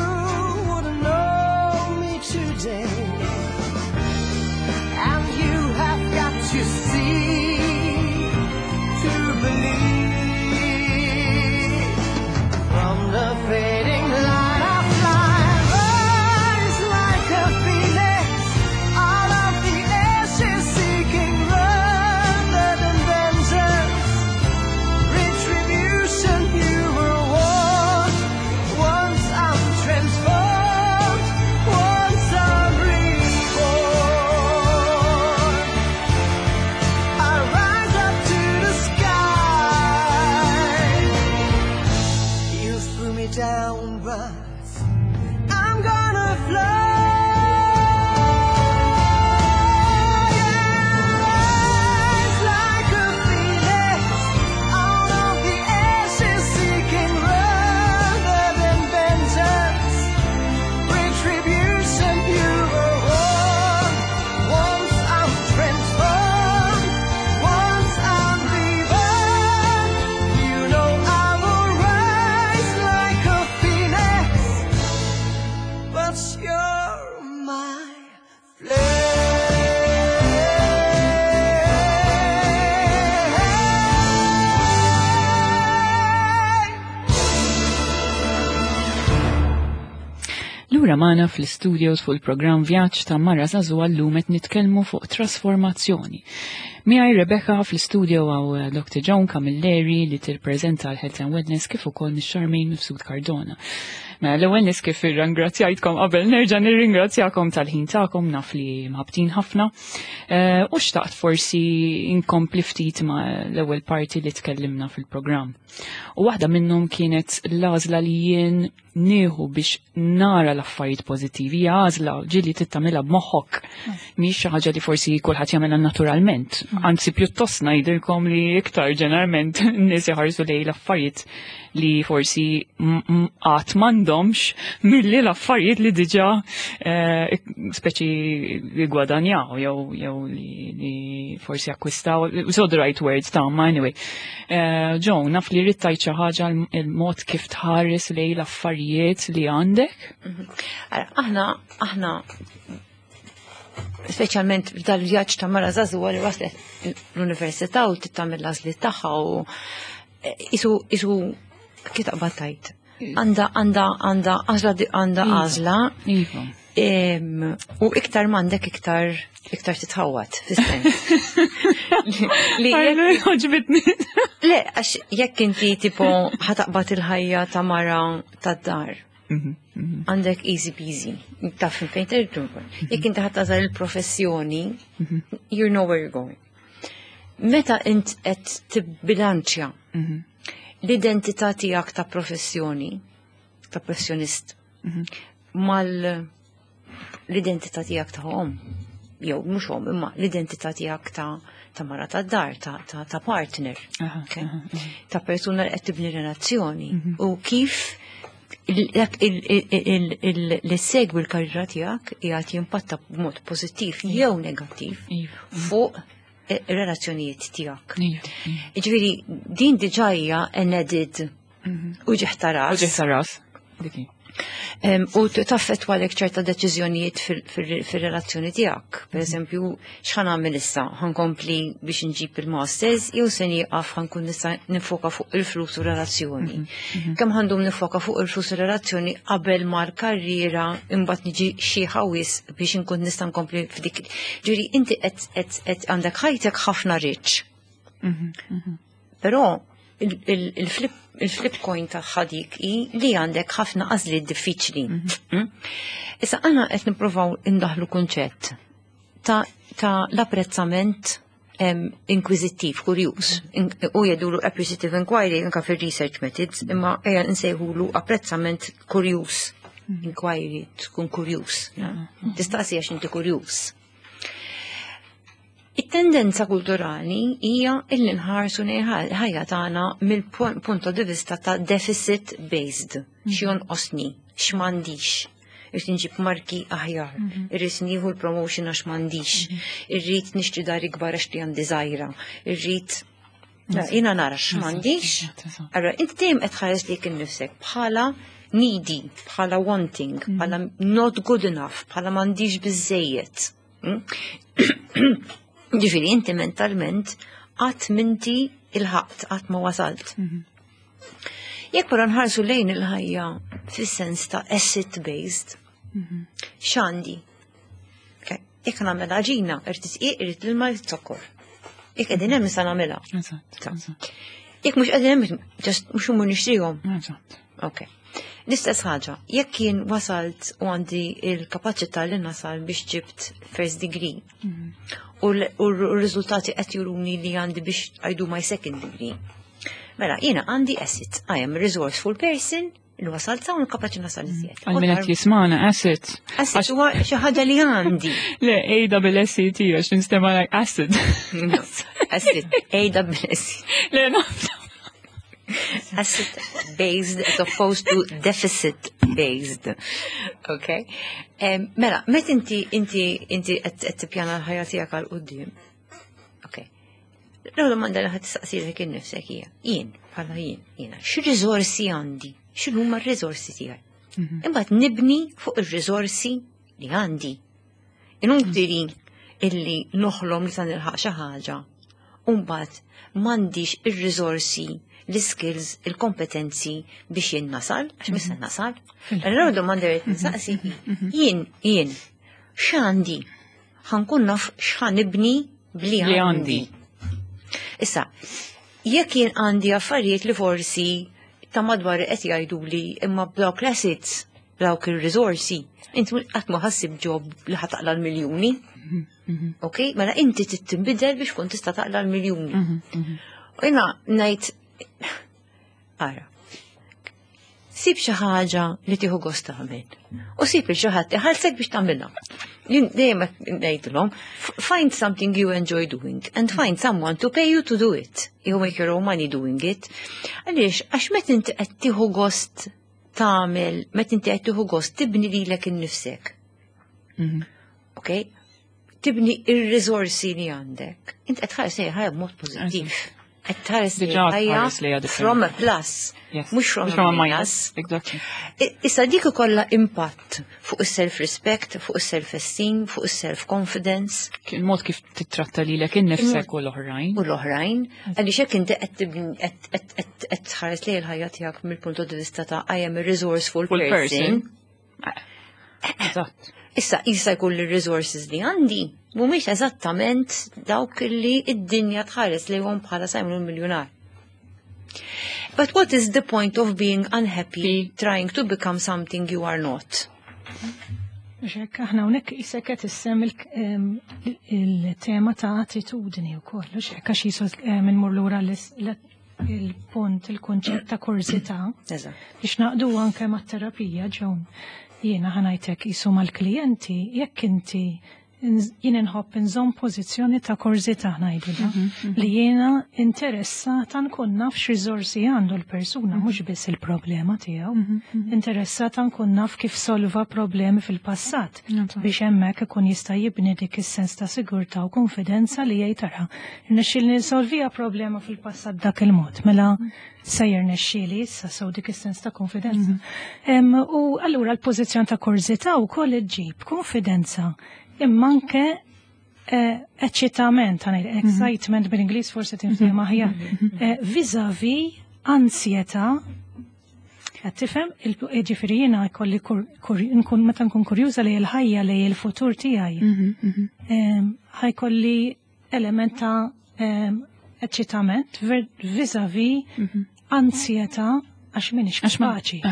wouldn't know me today. And you have got to see to believe. From the fading light of life, rise like a phoenix out of the ashes, seeking rather than vengeance. Retribution you were warned. Once I'm transformed, once I'm reborn. I rise up to the sky. You threw me down, but I'm gonna fly. Rise like a phoenix out of the ashes, seeking rather than vengeance. Retribution you were warned. Once I'm transformed, once I'm reborn. You know I will rise like a phoenix. But you're my flame. Lura magħna fl-studios fuq il-programm Vjaġġ ta' Mara Żagħżugħa, llum qed nitkellmu fuq trasformazzjoni. Miegħi Rebecca fl-studio hawn Dr. Joan Camilleri li tirpreżenta l-Health and Wellness, kif ukoll Miss Charmaine Mifsud Cardona. Mela, l-ewwel nies, kif irringrazzjajtkom qabel, nerġa' nirringrazzjakom tal-ħin tagħkom, naf li mħabtin ħafna. U xtaqt forsi inkompli ftit ma' l-ewwel parti li tkellimna fil-programm. U waħda minnhom kienet l-għażla li jien nieħu biex nara l-affarijiet pożittivi, hija għażla ġieli trid tagħmilha b'moħħok. Mhix xi ħaġa li forsi kulħadd jagħmilha naturalment. Anzi, pjuttost ngħidilkom li iktar ġeneralment n-nies iħarsu lejn l-affarijiet li forsi qatt m'għandhomx milli l-affarijiet li diġà speċi gwadanjaw jew li forsi akkwistaw. So the right words ta' ma anyway. Joan, naf li rrid tgħid xi ħaġa, il-mod kif tħares lejn l-affarijiet li għandek. Ara, aħna speċjalment f'dal-vjaġġ ta' mara żagħżugħa li waslet l-università u tagħmel l-għażliet tagħha u isu kif taqbad tajt. Għandha għażla għandha għażla. U iktar m'għandek iktar titħawat, fis-sens li Għoġbitni. Le, għax jekk inti tipo ħa taqbad il-ħajja ta' mara tad-dar, għandek easy peasy, taf fejn terġu. Jekk inti ħa tagħżel il-professjoni, you know where you're going. Meta int qed tibbilanċja l-identità tiegħek ta' professjoni, ta' professjonist, mal l-identità tiegħek ta' om, jew mhux om, imma l-identità tiegħek ta' mara ta' dar, ta' partner, okay? Ta' persuna li qed tibni relazzjoni u kif li segwi l-karriera tiegħek qiegħed jimpatta b'mod pożittiv jew negattiv fuq ir-relazzjonijiet tiegħek. Jiġifieri din diġà hija an added uġigħ ta' ras. Uġigħ ta' ras. Diki. U taffettwa għalek ċerta deċiżjonijiet fil-relazzjoni tiegħek. Per eżempju, x'ħa nagħmel issa? Ħa nkompli biex nġib il-masters, jew se nieqaf, ħa nkun nista' nifoka fuq il-flus u relazzjoni? Kemm ħa ndum nifoka fuq il-flus u relazzjoni qabel ma l-karriera imbagħad niġi xi ħawis biex inkun nista' nkompli f'dik. Ġifieri inti qed għandek ħajtek ħafna rich. Però il-flip coin ta' dik hi li għandek ħafna għażliet diffiċli. Issa għana qed nippruvaw indaħlu kunċett ta' l-apprezzament inkwiżittiv, kurjuż. U jgħidulu appreciative inquiry anka fil-research methods, imma ejja nsejħulu apprezzament kurjuż. Inquiry, tkun kurjuż. Tistaqsi għax inti kurjuż. It-tendenza kulturali hija illi nħarsu ħajja tagħna mill-punto di vista ta' deficit based, xi jonqosni, x'm'għandix. Irrid nġib marki aħjar, irrid nieħu l-promotion għax m'għandix, irrid nixtri dar ikbar għax li għandi żgħira, irrid jiena nara x'm'għandix. Allora, inti dejjem qed tħares lilek innifsek bħala needy, bħala wanting, bħala not good enough, bħala m'għandix biżejjed. Ġifieri inti mentalment qatt m'inti lħaqt, qatt ma wasalt. Jekk però nħarsu lejn il-ħajja fis-sens ta' asset based, x'għandi? Jekk nagħmel għaġina, irrid dqiq, irrid l-ilma, irrid zokkor. Jekk qegħdin hemm nista' nagħmilha. Jekk mhux qegħdin hemm, just mhux immur nixtrihom. Ok. L-istess ħaġa, jekk jien wasalt u għandi il-kapaċità li nasal biex ġibt first degree u r-riżultati qed juruni li għandi biex I do my second degree. Mela, jiena għandi asset, I am a resourceful person, li wasalt sa' kapaċi nasal iżjed. Għal min qed jismana asset. Asset huwa xi ħaġa li għandi. Le, A double S E T għax ninstema like acid. Asset, A double S. Le, no. Asset based as opposed to deficit based. Okay. Mela, met inti inti inti qed tippjana l-ħajja tiegħek għal quddiem. Okay. L-ewwel domanda li ħadd tistaqsilek innifsek hija, jien bħala jien, jiena, x'riżorsi għandi? X'inhuma r-riżorsi tiegħi? Imbagħad nibni fuq ir-riżorsi li għandi. Inutili illi noħlom li sa nilħaq xi ħaġa. U mbagħad m'għandix ir-riżorsi, l-skills, il-kompetenzi biex jien nasal, għax mhux se nasal. Allura domanda li nistaqsi jien jien x'għandi? Ħa nkun naf x'ħa nibni bli Li għandi. għandi. Issa, jekk jien għandi affarijiet li forsi ta' madwar qed jgħidu li imma b'dawk l-assets, b'dawk ir-riżorsi, inti qatt ma ħa ssib job li ħa taqla' l-miljuni. Ok, mela inti trid tinbidel biex kun tista' taqla' l-miljuni. U jiena ngħid ara. Sib xi ħaġa li tieħu gost tagħmel. U sib li xi ħadd iħallsek biex tagħmilha. Jien dejjem ngħidilhom, find something you enjoy doing and find someone to pay you to do it. You make your own money doing it. Għaliex, għax meta inti qed tieħu gost tagħmel, meta inti qed tieħu gost tibni lilek innifsek. Ok? Tibni ir-riżorsi li għandek. Inti qed tħares lejn ħajja b'mod pożittiv. Qed tħares lejn Diġà ħajja tħares lejha differenti. from a plus, mhux from a minus. Exactly. Issa dik ikollha impatt fuq is-self-respect, fuq is-self-esteem, fuq is-self-confidence Il-mod kif titratta lilek innifsek u l-oħrajn. u l-oħrajn, għaliex hekk inti qed tibni qed qed qed qed tħares lejn il-ħajja tiegħek mill-punt di vista ta' I am a resourceful Full person. person. Eżatt. Issa jista' jkun li resources li għandi mhumiex eżattament dawk li id-dinja tħares lejhom bħala sa jagħmlu miljonar. But what is the point of being unhappy trying to become something you are not? Mhux hekk, aħna hawnhekk isek qed issemmi il-tema ta' attitudni wkoll, mhux hekk għax jisu immur lura il-punt, il-kunċett ta' kurżità. Eżatt. Biex naqdu anke mat-terapija ġewn. Jiena ħa ngħidlek jisu mal-klijenti, jekk inti jien inħobb inżomm pożizzjoni ta' kurżità ngħidu da, li jiena interessata nkun naf x'riżorsi għandu l-persuna, mhux biss il-problema tiegħu. Interessata nkun naf kif solva problemi fil-passat biex hemmhekk ikun jista' jibni dik is-sens ta' sigurtà u konfidenza li jgħid tara. Irnexxieli nsolvija problema fil-passat dak il-mod, mela se jirnexxieli issa sew dik is-sens ta' konfidenza. U allura l-pożizzjoni ta' kurżità wkoll iġġib konfidenza imma anke eċċitament, ħa ngħid, excitement bil-Ingliż forsi tinfhem aħjar, vis-a-vis ansjetà. Qed tifhem, ġifieri jiena jkolli nkun meta nkun kurjuża li l-ħajja li l-futur tiegħi. Ħa jkolli element ta' eċċitament vis-a-vis ansjetà għax m'iniex Għax ma- kapaċi.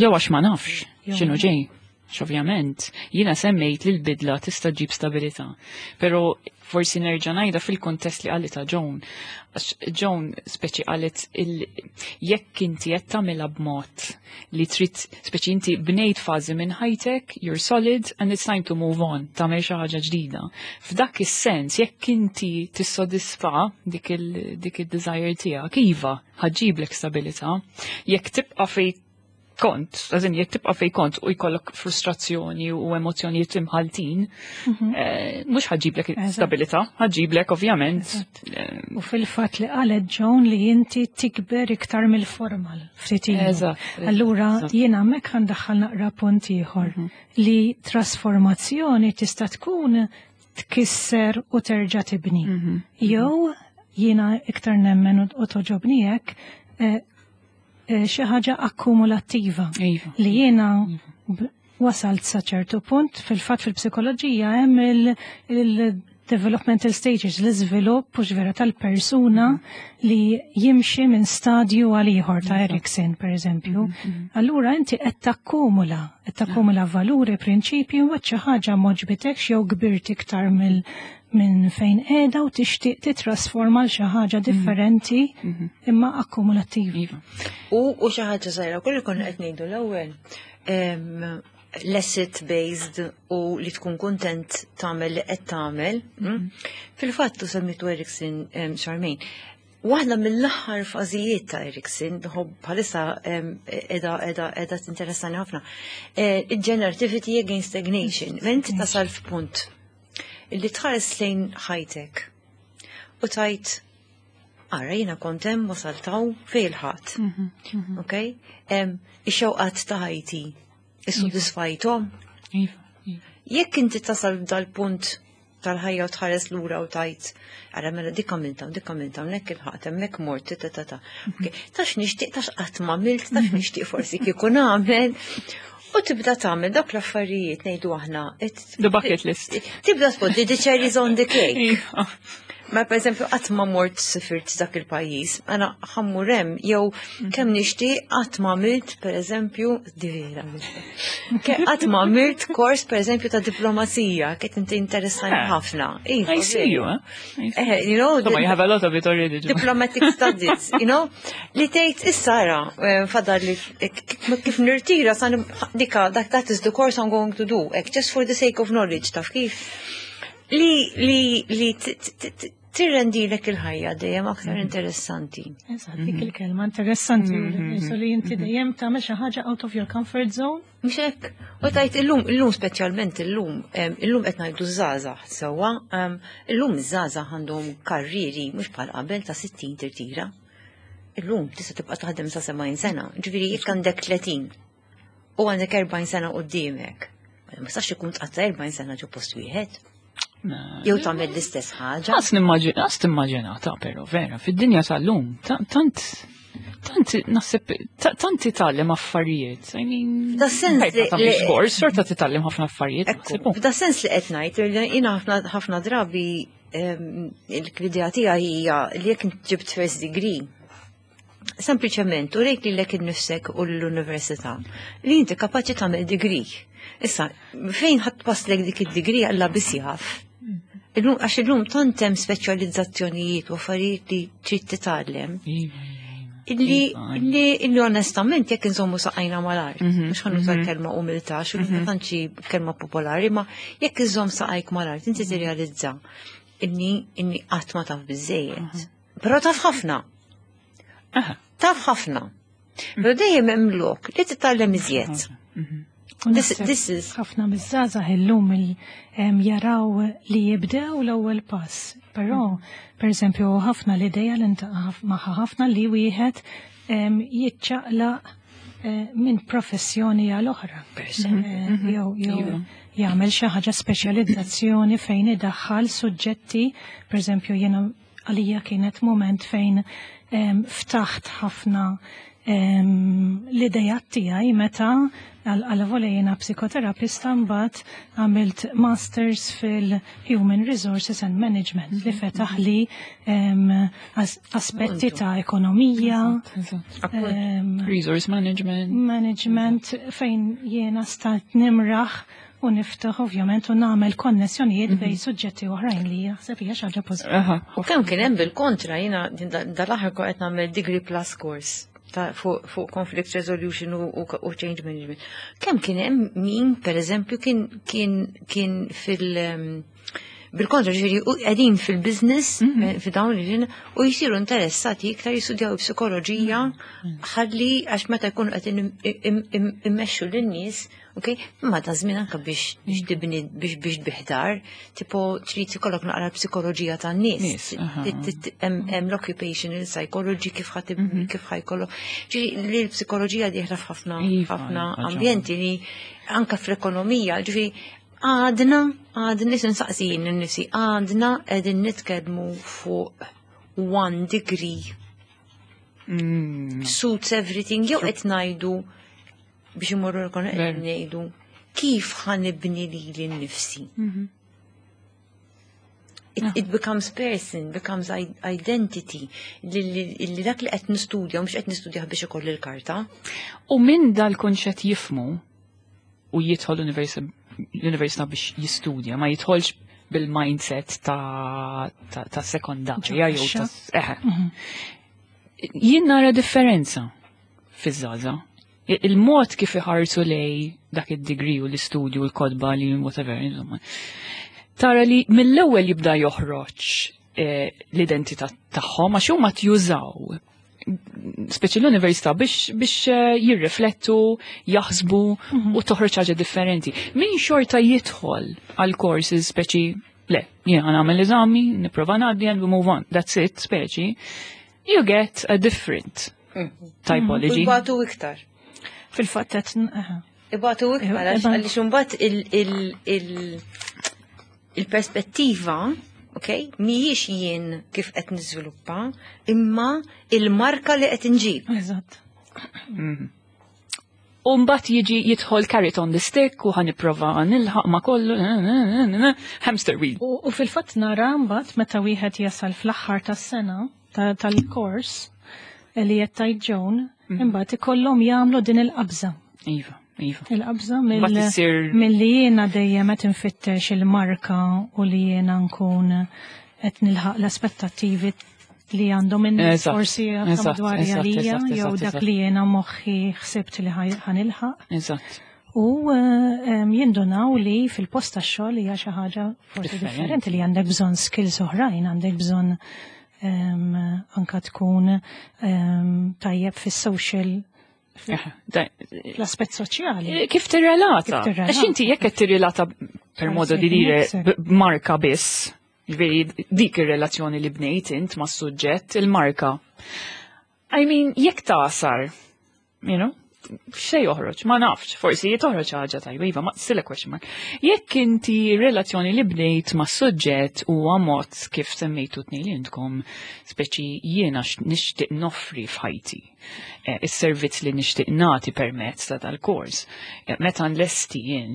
Jew għax ma nafx Jew x'inhu ġej. Ovvjament, jiena semmejt li l-bidla tista' ġib stabilità, però forsi nerġa' ngħidha fil-kuntest li qalita Joan. Għax Joan speċi qalet jekk inti qed tagħmilha b'mod li trid, speċi inti bnejt fażi minn ħajtek, you're solid and it's time to move on, tagħmel xi ħaġa ġdida. F'dak is-sens, jekk inti tissodisfa dik id-desire tiegħek, iva, ħa ġġiblek stabilità. Jekk tibqa' fej kont, għazin, jekk tibqa' fej kont u jkollok frustrazzjoni u emozjonijiet imħaltin, mhux ħa ġġiblek stabilità, ħa ġġiblek ovvjament. U fil-fatt li qalet Joan li inti tikber iktar mill-formal ftit ilu. Allura jiena hemmhekk ħa ndaħħal naqra punt ieħor li trasformazzjoni tista' tkun tkisser u terġa' tibni. Jew jiena iktar nemmen u togħġobni hekk xi ħaġa akkumulattiva li jiena wasalt sa ċertu punt. Fil-fatt fil-psikoloġija hemm il-developmental stages, l-iżvilupp u vera tal-persuna li jimxi minn stadju għal ieħor ta' Erikson, per eżempju. Allura inti qed takkumula valuri, prinċipji, u xi ħaġa m'għoġbitekx jew kbirt iktar minn fejn qiegħda u tixtieq titrasforma l xi ħaġa differenti imma akkumulattiva. U xi ħaġa żgħira, kulli konna qed ngħidu l-ewwel, l-asset based u li tkun kontent tagħmel li qed tagħmel. Fil-fatt u semmitu Erikson, Charmaine. Waħda mill-aħħar fażijiet ta' Erikson, bħalissa qiegħda tinteressani ħafna, il-generativity against stagnation. Meta inti tasal f'punt illi tħares lejn ħajtek u tgħid, "Ara, jiena kont hemm, wasalt hawn fejn il-ħadd." Ok? Ix-xewqat ta' ħajti issodisfajthom. Iva. Jekk inti tasal dal-punt tal-ħajja u tħares lura u tgħid, "Ara, mela dik għamilta, dik għamilta, hemmhekk il-ħadd, hemmhekk mort, ta ta ta. Ok, Tax nixtieq, tax qatt ma għamilt, tax nixtieq forsi kieku nagħmel." U tibda tagħmel dak l-affarijiet, ngħidu aħna. The bucket list. Tibda tpoġġi the cherries on the cake. Ma per eżempju qatt ma mort sifirt dak il-pajjiż, għana ħa mmur hemm, jew kemm nixtieq, qatt ma għamilt, per eżempju, di vera, qatt ma għamilt kors, per eżempju, ta' diplomazija, kiet inti interessani ħafna. Iva, I see you, eh? I see. Insomma, you have a lot of it already. Joe. Diplomatic studies, li tgħid issa ara, fadal li kif nirtira san dika that, that is the course I'm going to do, just for the sake of knowledge, taf kif. Li tirrendilek il-ħajja dejjem aktar interessanti. Eżatt, dik il-kelma interessanti, so li inti dejjem tagħmel xi ħaġa out of your comfort zone. Mhux hekk. U tgħid illum, illum speċjalment illum, illum qed ngħidu żgħażagħ sewwa, illum iż-żgħażagħ għandhom karrieri mhux bħal qabel ta' 60 tirtira. Illum tista' tibqa' taħdem sa 70 sena. Ġifieri jekk għandek 30 u għandek 40 sena quddiemek, ma tistax ikun tqatta' 40 sena ġo post wieħed. Jew tagħmel l-istess ħaġa. Għas nimmaġina ta' però vera, fid-dinja tal-lum, tant, tant, naħseb, tant titgħallem affarijiet. I mean, Da sens ma tagħmilx kors, xorta titgħallem ħafna affarijiet. Ekku, naħseb, f'da sens li qed ngħid, li jiena ħafna ħafna drabi l-idea tiegħi hija li jekk int ġibt first degree, sempliċement u rejt lilek innifsek u l-università li inti kapaċi tagħmel degree. Issa, fejn ħadd paslek dik id-degree, Alla biss jaf. Illum, għax illum tant hemm speċjalizzazzjonijiet u affarijiet li trid titgħallem Iva, iva. Illi onestament jekk inżommu saqajna mal-art, mhux ħa nuża kelma umiltà, xu tantx kelma popolari, ma jekk iżomm saqajk mal-art, inti tirrealizza inni qatt ma taf biżejjed. Però taf ħafna. Taf ħafna. Però dejjem hemm lok li titgħallem iżjed. U naħseb This is ħafna miż-żgħażagħ illum jaraw li jibdew l-ewwel pass. Però, per eżempju, ħafna l-idea li ntaqa' magħha ħafna li wieħed jiċċaqlaq minn professjoni għal oħra. Per eżempju. Jew jagħmel xi ħaġa, speċjalizzazzjoni fejn idaħħal suġġetti, per eżempju, jiena għalija kienet moment fejn ftaħt ħafna. L-idejat tiegħi meta għal jiena psikoterapista, mbagħad għamilt masters fil-Human Resources and Management li fetaħ li aspetti ta' ekonomija, resource management, management, fejn jiena stajt nimraħ u niftaħ ovvjament u nagħmel konnessjonijiet bejn suġġetti oħrajn li jaħseb hija xi ħaġa pożittiva. U kemm kien hemm bil-kontra, jiena dal-aħħar qed nagħmel degree plus course ta' fuq conflict resolution u change management. Kemm kien hemm min, per eżempju, kien bil-kontra, ġifieri, u qegħdin fil-business, fi dawn li ġin, u jisiru interessati iktar jistudjaw psikoloġija, ħalli għax meta jkunu qed immexxu lin-nies, ok, imma ta' żmien anke biex tibni, biex biħdar, tipo trid ikollok naqra psikoloġija tan-nies. Nies, aha. Hemm l-occupational psychology, kif ħa jkollok. Ġifieri li l-psikoloġija dieħla f'ħafna ħafna ambjenti li anke fl-ekonomija, ġifieri għadna nsaqsi jien nifsi, għadna qegħdin nitkellmu fuq one degree suits everything, jew qed ngħidu biex imorru l qed ngħidu kif ħa nibni lili nnifsi. It becomes person, becomes identity. Li dak li qed nistudja, mhux qed nistudja biex ikolli l-karta. U minn dal-kunċett jifhmu u jidħol l-università biex jistudja, ma jidħolx bil-mindset ta' sekondarja jew ta' eħe. Jien nara differenza fiż-żgħażagħ. Il-mod kif iħarsu lej dak id-degree u l-istudju u l-kotba li whatever, insomma. Tara li mill-ewwel jibda joħroġ l-identità tagħhom għax huma jużaw speċi l-università biex jirriflettu, jaħsbu u toħroġ ħaġa differenti. Min xorta jidħol għal courses speċi le, jiena nagħmel eżami, nipprova ngħaddi and we move on. That's it, speċi. You get a different typology. U jbatu iktar. Fil-fatt qed aha. Ibatu iktar għaliex imbagħad il-perspettiva, ok, mhijiex jien kif qed niżviluppa, imma il-marka li qed inġib. Eżatt. U mbagħad jiġi jidħol carrot on the stick u ħa nipprova nilħaq ma kollu, hamster wheel. U fil-fatt nara mbagħad meta wieħed jasal fl-aħħar tas-sena tal-kors li qed tgħid Joan, imbagħad ikollhom jagħmlu din il-qabża. Iva. Il-qabża Mbagħad issir mill-li jiena dejjem qed infittex il-marka u li jiena nkun qed nilħaq l-aspettattivi li għandhom in-nies forsi madwar għalija jew dak li jiena moħħi ħsibt li ħa nilħaq. U jindunaw li fil-post tax-xogħol hija xi ħaġa forsi Differenti. differenti, li għandek bżonn skills oħrajn, għandek bżonn anka tkun tajjeb fis-social, l-aspett soċjali. Kif tirrelata? Kif tirrelata. Għax inti jekk qed tirrelata, per modo di dire, Nifsek. b'marka biss, ġifieri dik ir-relazzjoni li bnejt int mas-suġġett, il-marka. I mean, jekk tasar, xej joħroġ, ma nafx, forsi toħroġ ħaġa tajba, iva, ma still a question mark. Jekk inti relazzjoni li bnejt ma' suġġett huwa mod kif semmejtu tnejn li intkom, speċi jiena nixtieq noffri f'ħajti, is-servizz li nixtieq nagħti permezz ta' dal-kors. Meta nlesti jien,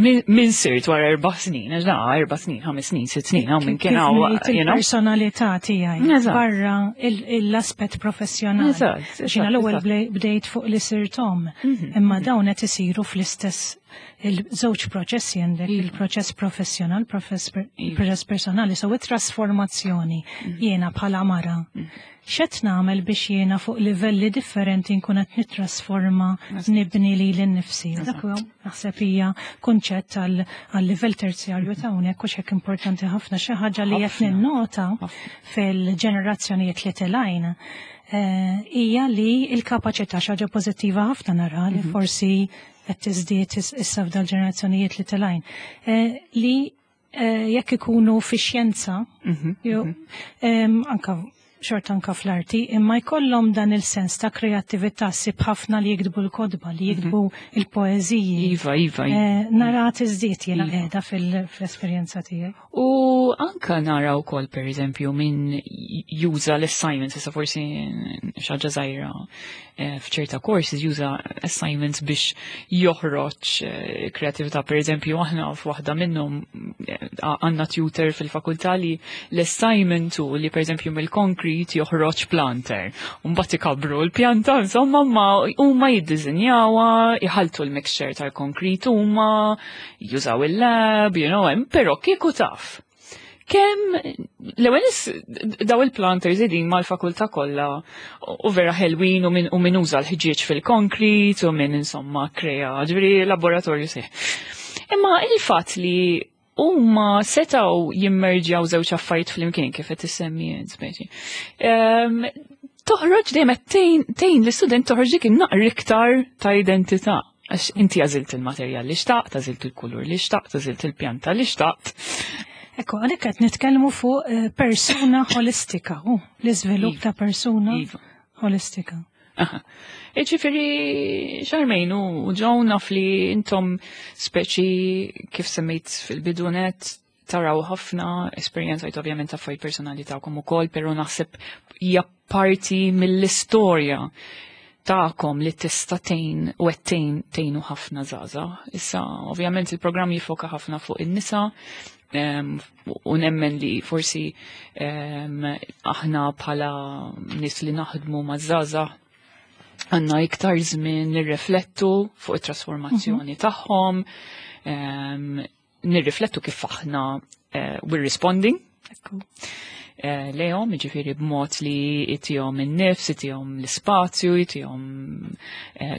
min sirt wara 4 snin, għax da 4 snin, 5 snin, 6 snin, hawn minn kien Kif hawn, ngħid il-personalità tiegħi barra l-aspett professjonali. Xina l-ewwel bdejt fuq li sirt omm, imma dawn qed isiru fl-istess il-żewġ proċessi, għandek il-proċess professjonal, il-proċess personali, so it-trasformazzjoni jiena bħala mara. X'qed nagħmel biex jiena fuq livelli differenti nkun qed nittrasforma, nibni lili nnifsi? Dak huwa naħseb hija kunċett għal livell terzjarju ta' hawnhekk u x'hekk importanti ħafna, xi ħaġa li qed ninnota fil-ġenerazzjonijiet li telgħin hija li l-kapaċità, xi ħaġa pożittiva ħafna nara li forsi qed tiżdied issa f'dal-ġenerazzjonijiet li telgħin, li jekk ikunu fi xjenza, jew anka xorta anka fl-arti, imma jkollhom dan il-sens ta' kreattività, ssib ħafna li jiktbu l-kotba, li jiktbu il-poeżiji. Iva, iva, iva. Nara tiżdied jiena qiegħda fil-esperjenza tiegħi. U anka nara wkoll pereżempju min juża l-assignments, issa forsi xi ħaġa żgħira f'ċerta courses juża assignments biex joħroġ kreatività. Per eżempju, aħna f'waħda minnhom għandna tutor fil-fakultà li l-assignment hu li per eżempju mill-concrete joħroġ planter. Mbagħad ikabru l-pjanta, insomma, ma huma jiddiżinjawha, iħaltu l-mixture tal-concrete huma, jużaw il-lab, però kieku taf. Kemm l-ewwel daw il-planters qegħdin mal-fakultà kollha u vera ħelwin u min uża l-ħġieġ fil-konkrit u min insomma krea, ġifieri laboratorju seħ. Imma il-fatt li huma setgħu jimmerġjaw żewġ affarijiet flimkien kif qed issemmi speċi. Toħroġ dejjem qed tgħin l-istudent toħroġ dik in-naqra iktar ta' identità. Għax inti għażilt il-materjal li xtaqt, għażilt il-kulur li xtaqt, għażilt il-pjanta li xtaqt. Ekku, għalhekk qed nitkellmu fuq persuna holistika, u l-iżvilupp ta' persuna holistika. Ġifieri, Charmaine u Joan, naf li intom speċi kif semmejt fil-bidunet taraw ħafna esperjenza ovvjament affarijiet personali tagħkom ukoll, però naħseb hija parti mill-istorja tagħkom li tista' tgħin u qed tgħin tgħinu ħafna żgħażagħ. Issa ovvjament il-programm jifoka ħafna fuq in-nisa u nemmen li forsi aħna bħala nies li naħdmu ma' żgħażagħ għandna iktar żmien nirriflettu fuq it-trasformazzjoni tagħhom, nirriflettu kif aħna we're responding lejhom, ġifieri b'mod li itihom in-nifs, itihom l-ispazju, itihom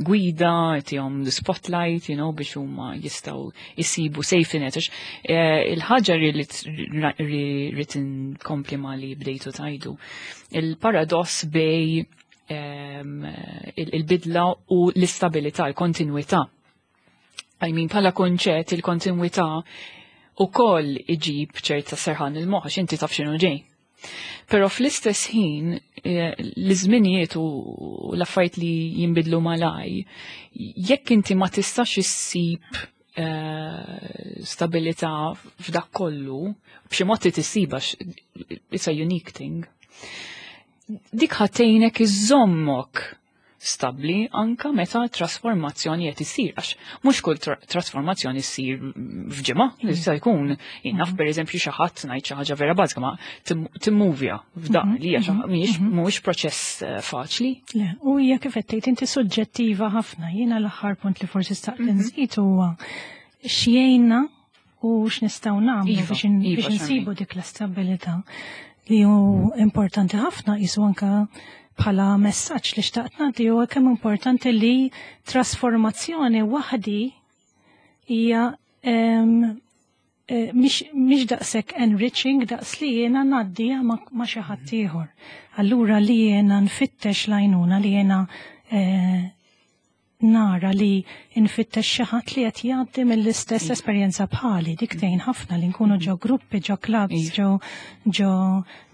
gwida, itihom l-spotlight, biex huma jistgħu jisibu safety net. Għax il-ħaġa li rrid inkompli ma li bdejtu tajdu, il-paradoss bejn il-bidla u l-istabilità, il-kontinuità. I mean, bħala konċett, il-kontinuità ukoll iġib ċerta serħan il-moħħ, għax inti taf x'inhu ġej. Però fl-istess ħin, l-żminijiet u l-affarijiet li jinbidlu malaj, jekk inti ma tistax issib stabilità f'dak kollu, b'xi mod tissibha, it's a unique thing. Dik ħa tgħinek iżommok stabli anka meta trasformazzjoni qed issir, għax mhux kull trasformazzjoni ssir f'ġimgħa, jista' jkun jien naf pereżempju xi ħadd, ngħid xi ħaġa vera bażika, ma timmuvja f'daq li hija mhuwiex proċess faċli. Le, u hija kif qed tgħid inti suġġettiva ħafna. Jiena l-aħħar punt li forsi staqt nżid huwa x'jgħinna u x'nistgħu nagħmlu biex insibu dik l-istabilità li hu importanti ħafna jisu anka bħala messaġġ li xtaqt nagħti huwa kemm importanti li trasformazzjoni waħdi hija mhix daqshekk enriching daqs li jiena ngħaddija ma' xi ħadd ieħor. Allura li jiena nfittex l-għajnuna, li jiena nara li nfittex xi ħadd li qed jgħaddi mill-istess esperjenza bħali, dik tgħin ħafna li nkunu ġo gruppi, ġo clubs, ġo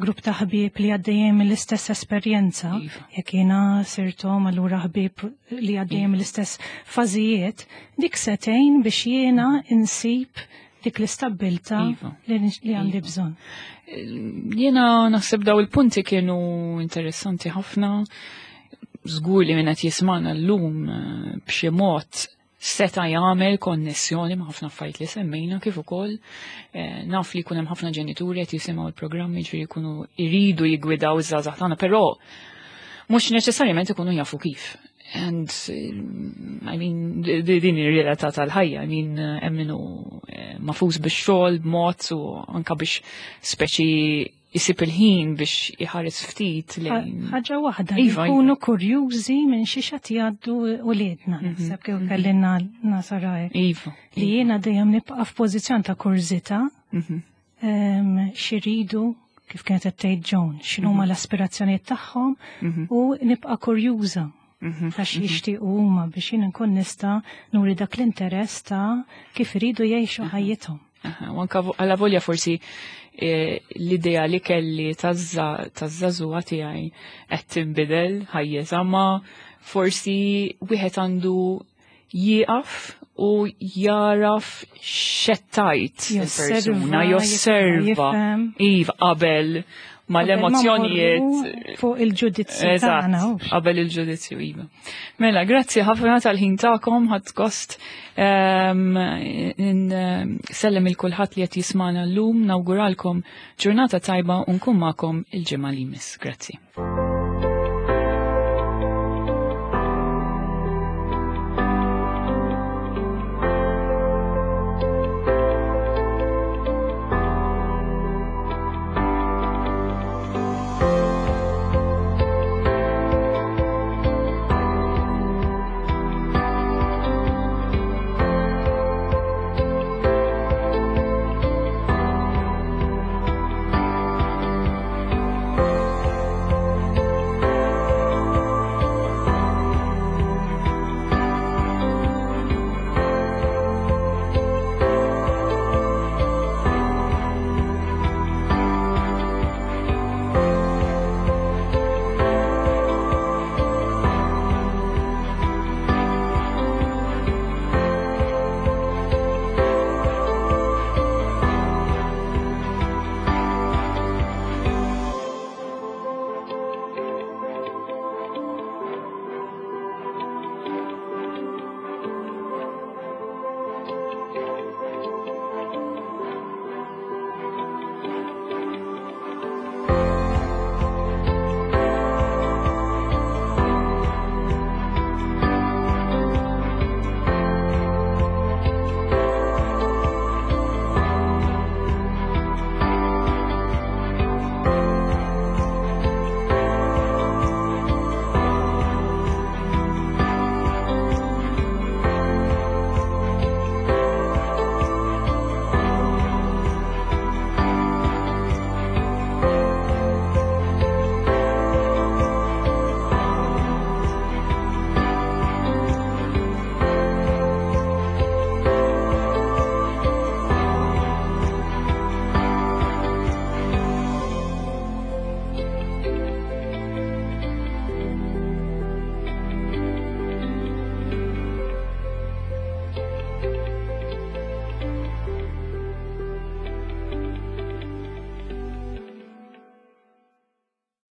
grupp ta' ħbieb li għaddejjin mill-istess esperjenza. Jekk jiena sirt omm, allura ħbieb li għaddejjin mill-istess fażijiet, dik se tgħin biex jiena insib dik l-istabbiltà li għandi bżonn. Jiena naħseb daw il-punti kienu interessanti ħafna. Żgur li min qed jismana llum b'xi mod seta' jagħmel konnessjoni ma' ħafna affarijiet li semmejna, kif ukoll naf li jkun hemm ħafna ġenituri qed jisimgħu l-programmi, ġifieri jkunu jridu jiggwidaw iż-żgħażagħ tagħna, però mhux neċessarjament ikunu jafu kif. And I mean, din ir-realtà tal-ħajja, I mean, hemm minnu magħfus bix-xogħol b'mod u anka biex speċi jisib il-ħin biex iħares ftit lejn. Ħaġa waħda, nkunu kurjużi minn xi qed jgħaddu uliedna, naħseb kif kellinna nasara hekk. Li jiena dejjem nibqa' f'pożizzjon ta' kurżità x'iridu, kif kienet qed tgħid Joan, x'inhuma l-aspirazzjonijiet tagħhom u nibqa' kurjuża ta' x'jixtiequ huma biex jien nkun nista' nuri dak l-interess ta' kif iridu jgħixu ħajjithom. U anka għala volja forsi eh, l-idea li kelli taż-żagħżugħa tiegħi qed tinbidel ħajjeza ma forsi wieħed għandu jieqaf u jaraf xettajt il-persuna, josserva, iva, qabel ma l-emozjonijiet. Fuq il-ġudizzju. Eżatt, qabel il-ġudizzju, iva. Mela, grazzi ħafna tal-ħin tagħkom, ħadd gost ehm, sellem il-kulħadd li qed jismana llum, nawguralkom ġurnata tajba u nkun magħkom il-ġimgħa li jmiss. Grazzi.